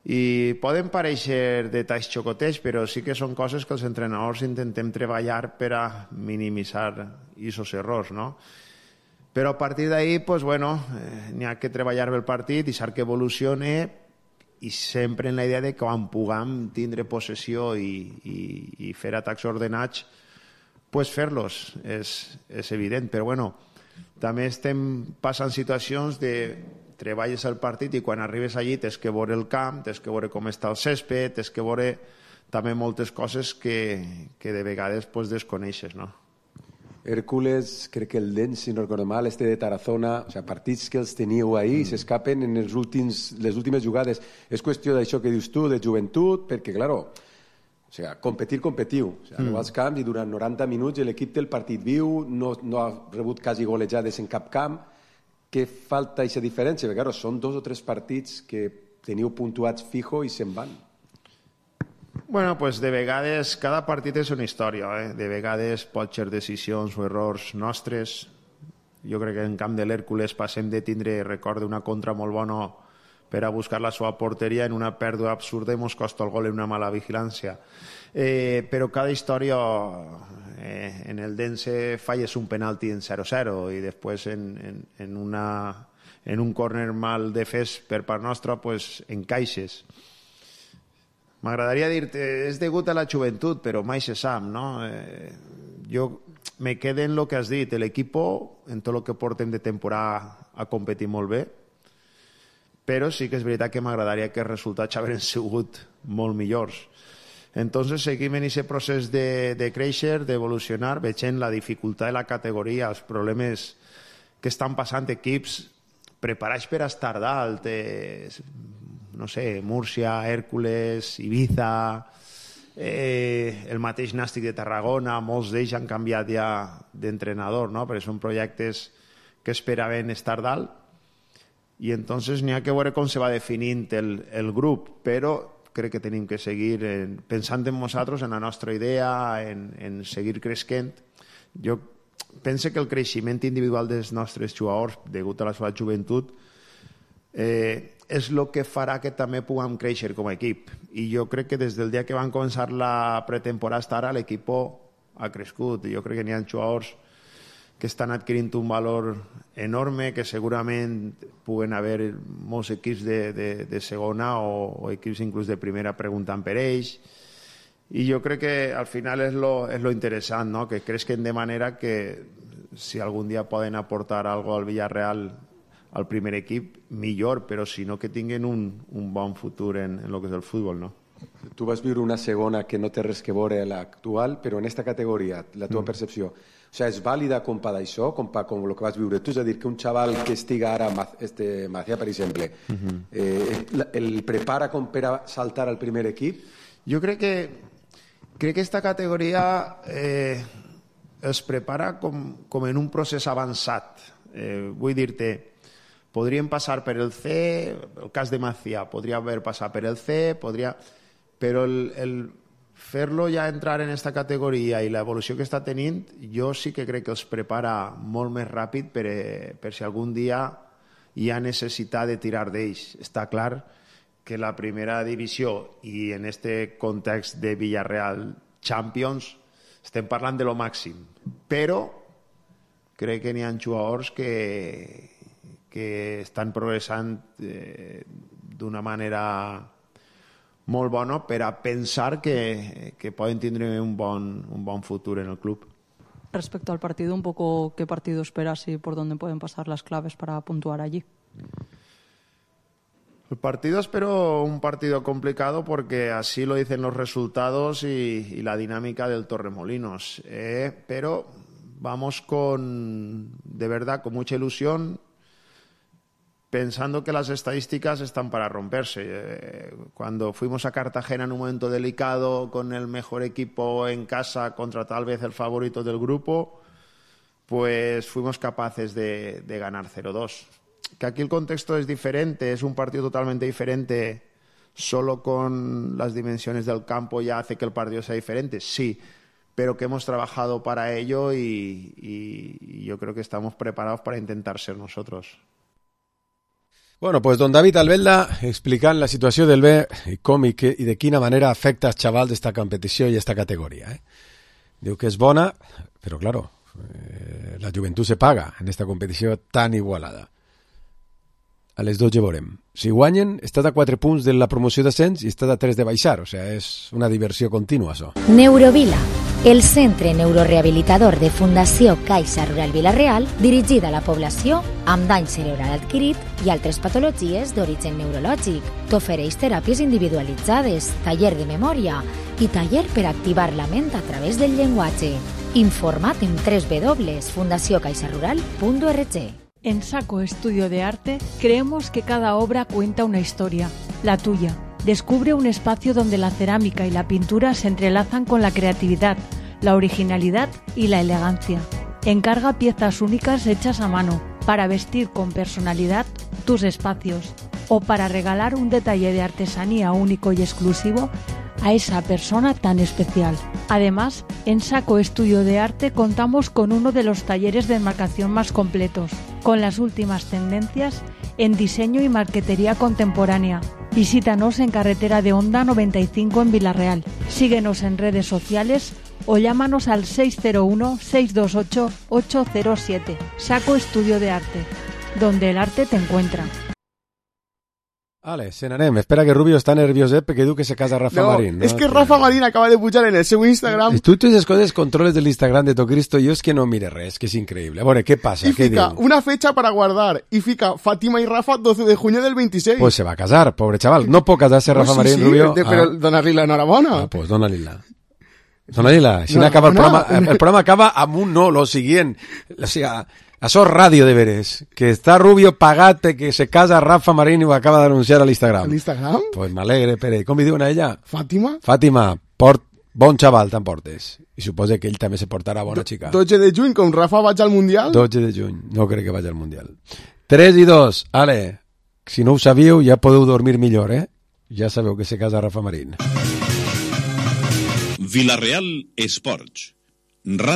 [SPEAKER 6] I poden parèixer detalls xocotets, però sí que són coses que els entrenadors intentem treballar per a minimitzar aquests errors, no? Però a partir d'ahí, pues, bueno, eh, n'hi ha que treballar bé el partit, deixar que evolucione i sempre en la idea de que quan puguem tindre possessió i, i, i fer atacs ordenats, pues fer-los, és, és evident. Però bueno, també estem passant situacions de treballes el partit i quan arribes allí tens que veure el camp, tens que veure com està el césped, tens que veure també moltes coses que, que de vegades pues, desconeixes, no?
[SPEAKER 4] Hércules, crec que el Dens, si no recordo mal, este de Tarazona, o sea, partits que els teníeu ahí i mm. s'escapen en els últims, les últimes jugades. És qüestió d'això que dius tu, de joventut, perquè, claro, o sea, competir, competiu. O sea, mm. no als camps i durant noranta minuts l'equip té el partit viu, no, no ha rebut quasi golejades en cap camp. Què falta aquesta diferència? Perquè, claro, són dos o tres partits que teniu puntuats fijo i se'n van.
[SPEAKER 6] Bueno, pues de vegades cada partit és una història, eh? De vegades pot ser decisions o errors nostres. Jo crec que en camp de l'Hèrcules passem de tindre, recordo, una contra molt bona per a buscar la seva porteria en una pèrdua absurda i mos costa el gol en una mala vigilància. Eh, però cada història, eh, en el Dense falles un penalti en zero zero i després en, en, en, una, en un córner mal defès per part nostra, pues, encaixes. M'agradaria dir-te, és degut a la joventut, però mai se sap, no? Eh, jo me quedo en el que has dit, l'equip, en tot el que portem de temporada, ha competit molt bé, però sí que és veritat que m'agradaria que els resultats haguessin sigut molt millors. Entonces seguim en aquest procés de, de créixer, d'evolucionar, veient la dificultat de la categoria, els problemes que estan passant equips preparats per estar dalt, eh, no sé, Múrcia, Hèrcules, Ibiza, eh, el mateix Nàstic de Tarragona, molts d'ells han canviat ja d'entrenador, no? Perquè són projectes que esperaven estar dalt i entonces n'hi ha que veure com se va definint el, el grup, però crec que tenim que seguir en, pensant en nosaltres, en la nostra idea, en, en seguir creixent. Jo penso que el creixement individual dels nostres jugadors, degut a la seva joventut, eh, és el que farà que també puguem créixer com a equip. I jo crec que des del dia que van començar la pretemporada fins ara l'equip ha crescut. Jo crec que n'hi ha jugadors que estan adquirint un valor enorme, que segurament puguen haver molts equips de, de, de segona o, o equips inclús de primera preguntant per ells. I jo crec que al final és lo, és lo interessant, no? Que creixen de manera que si algun dia poden aportar alguna cosa al Villarreal al primer equip, millor, però si no que tinguin un, un bon futur en, en el que és el futbol, no?
[SPEAKER 4] Tu vas viure una segona que no té res que veure a l'actual, però en aquesta categoria, la teva mm. percepció, o sigui, és vàlida compa d'això, compa com el que vas viure tu? És a dir, que un xaval que estiga ara, este Macià, per exemple, mm-hmm. eh, el prepara com per a saltar al primer equip?
[SPEAKER 6] Jo crec que crec que aquesta categoria eh, es prepara com, com en un procés avançat. Eh, vull dir-te, podríem passar per el C, el cas de Macià, podria haver passat per el C, podria... però el, el fer-lo ja entrar en aquesta categoria i l'evolució que està tenint, jo sí que crec que els prepara molt més ràpid per, per si algun dia hi ha necessitat de tirar d'ells. Està clar que la primera divisió i en este context de Villarreal Champions estem parlant de lo màxim, però crec que n'hi ha jugadors que que estan progressant eh, d'una manera molt bona per a pensar que, que poden tindre un bon, un bon futur en el club.
[SPEAKER 7] Respecto al partido, un poco qué partido esperas y por dónde pueden pasar las claves para puntuar allí.
[SPEAKER 6] El partido espero un partido complicado porque así lo dicen los resultados y, y la dinámica del Torremolinos. Eh, pero vamos con, de verdad, con mucha ilusión, pensando que las estadísticas están para romperse. Eh, cuando fuimos a Cartagena en un momento delicado, con el mejor equipo en casa contra tal vez el favorito del grupo, pues fuimos capaces de, de ganar cero dos. Que aquí el contexto es diferente, es un partido totalmente diferente, solo con las dimensiones del campo ya hace que el partido sea diferente, sí, pero que hemos trabajado para ello y, y, y yo creo que estamos preparados para intentar ser nosotros.
[SPEAKER 4] Bueno, pues don David Albelda explicant la situació del B i com i, que, i de quina manera afecta als xavals d'esta competició i esta categoria. Eh? Diu que és bona, però, claro, eh, la joventut se paga en esta competició tan igualada. A les dotze veurem. Si guanyen, estàs a quatre punts de la promoció d'ascens i estàs a tres de baixar, o sigui, és una diversió contínua, això.
[SPEAKER 13] Neurovila, el centre neurorehabilitador de Fundació Caixa Rural Vila-real, dirigida a la població amb dany cerebral adquirit i altres patologies d'origen neurològic. T'ofereix teràpies individualitzades, taller de memòria i taller per activar la ment a través del llenguatge. Informa't en doble u doble u doble punt fundació caixa rural punt org.
[SPEAKER 19] En Saco Estudio de Arte creemos que cada obra cuenta una historia, la tuya. Descubre un espacio donde la cerámica y la pintura se entrelazan con la creatividad, la originalidad y la elegancia. Encarga piezas únicas hechas a mano para vestir con personalidad tus espacios o para regalar un detalle de artesanía único y exclusivo a esa persona tan especial. Además, en Saco Estudio de Arte contamos con uno de los talleres de enmarcación más completos, con las últimas tendencias en diseño y marquetería contemporánea. Visítanos en Carretera de Honda noventa y cinco en Vila-real. Síguenos en redes sociales o llámanos al seis cero uno, seis dos ocho, ocho cero siete. Saco Estudio de Arte, donde el arte te encuentra.
[SPEAKER 4] Vale, se n'anem. Espera que Rubio està nervioset perquè diu que se casa Rafa
[SPEAKER 5] no,
[SPEAKER 4] Marín. No,
[SPEAKER 5] és que Rafa Marín acaba de pujar en el seu Instagram.
[SPEAKER 4] Tu totes les coses controles de l'Instagram de Tocristo, jo és que no mire res, que és increïble. A veure, què passa?
[SPEAKER 5] Y
[SPEAKER 4] què
[SPEAKER 5] fica
[SPEAKER 4] diu?
[SPEAKER 5] una fecha para guardar y fica Fátima y Rafa doce de junio del veintiséis.
[SPEAKER 4] Pues se va a casar, pobre chaval. No pot casar-se Rafa
[SPEAKER 5] sí,
[SPEAKER 4] Marín,
[SPEAKER 5] sí,
[SPEAKER 4] Rubio.
[SPEAKER 5] de, pero
[SPEAKER 4] ah.
[SPEAKER 5] donar-li la enhorabona.
[SPEAKER 4] Ah, pues dona-li-la. Dona-li-la. Si no,
[SPEAKER 5] no,
[SPEAKER 4] acaba el
[SPEAKER 5] no,
[SPEAKER 4] programa,
[SPEAKER 5] no.
[SPEAKER 4] el programa acaba amb un no, lo siguiente. O sea, això és ràdio de veres. Que està Rubio pagat que se casa Rafa Marín i ho acaba d'anunciar a l'Instagram.
[SPEAKER 5] ¿A l'Instagram?
[SPEAKER 4] Pues m'alegre, Pere. Com li diuen a ella?
[SPEAKER 5] Fàtima?
[SPEAKER 4] Fàtima, port, bon xaval t'emportes. I suposa que ell també se portarà bona xica.
[SPEAKER 5] dotze de juny, com Rafa vaig al Mundial.
[SPEAKER 4] dotze de juny, no crec que vagi al Mundial. tres i dos, ale, si no ho sabíeu ja podeu dormir millor, eh? Ja sabeu que se casa Rafa Marín.
[SPEAKER 8] Vila-real Esports.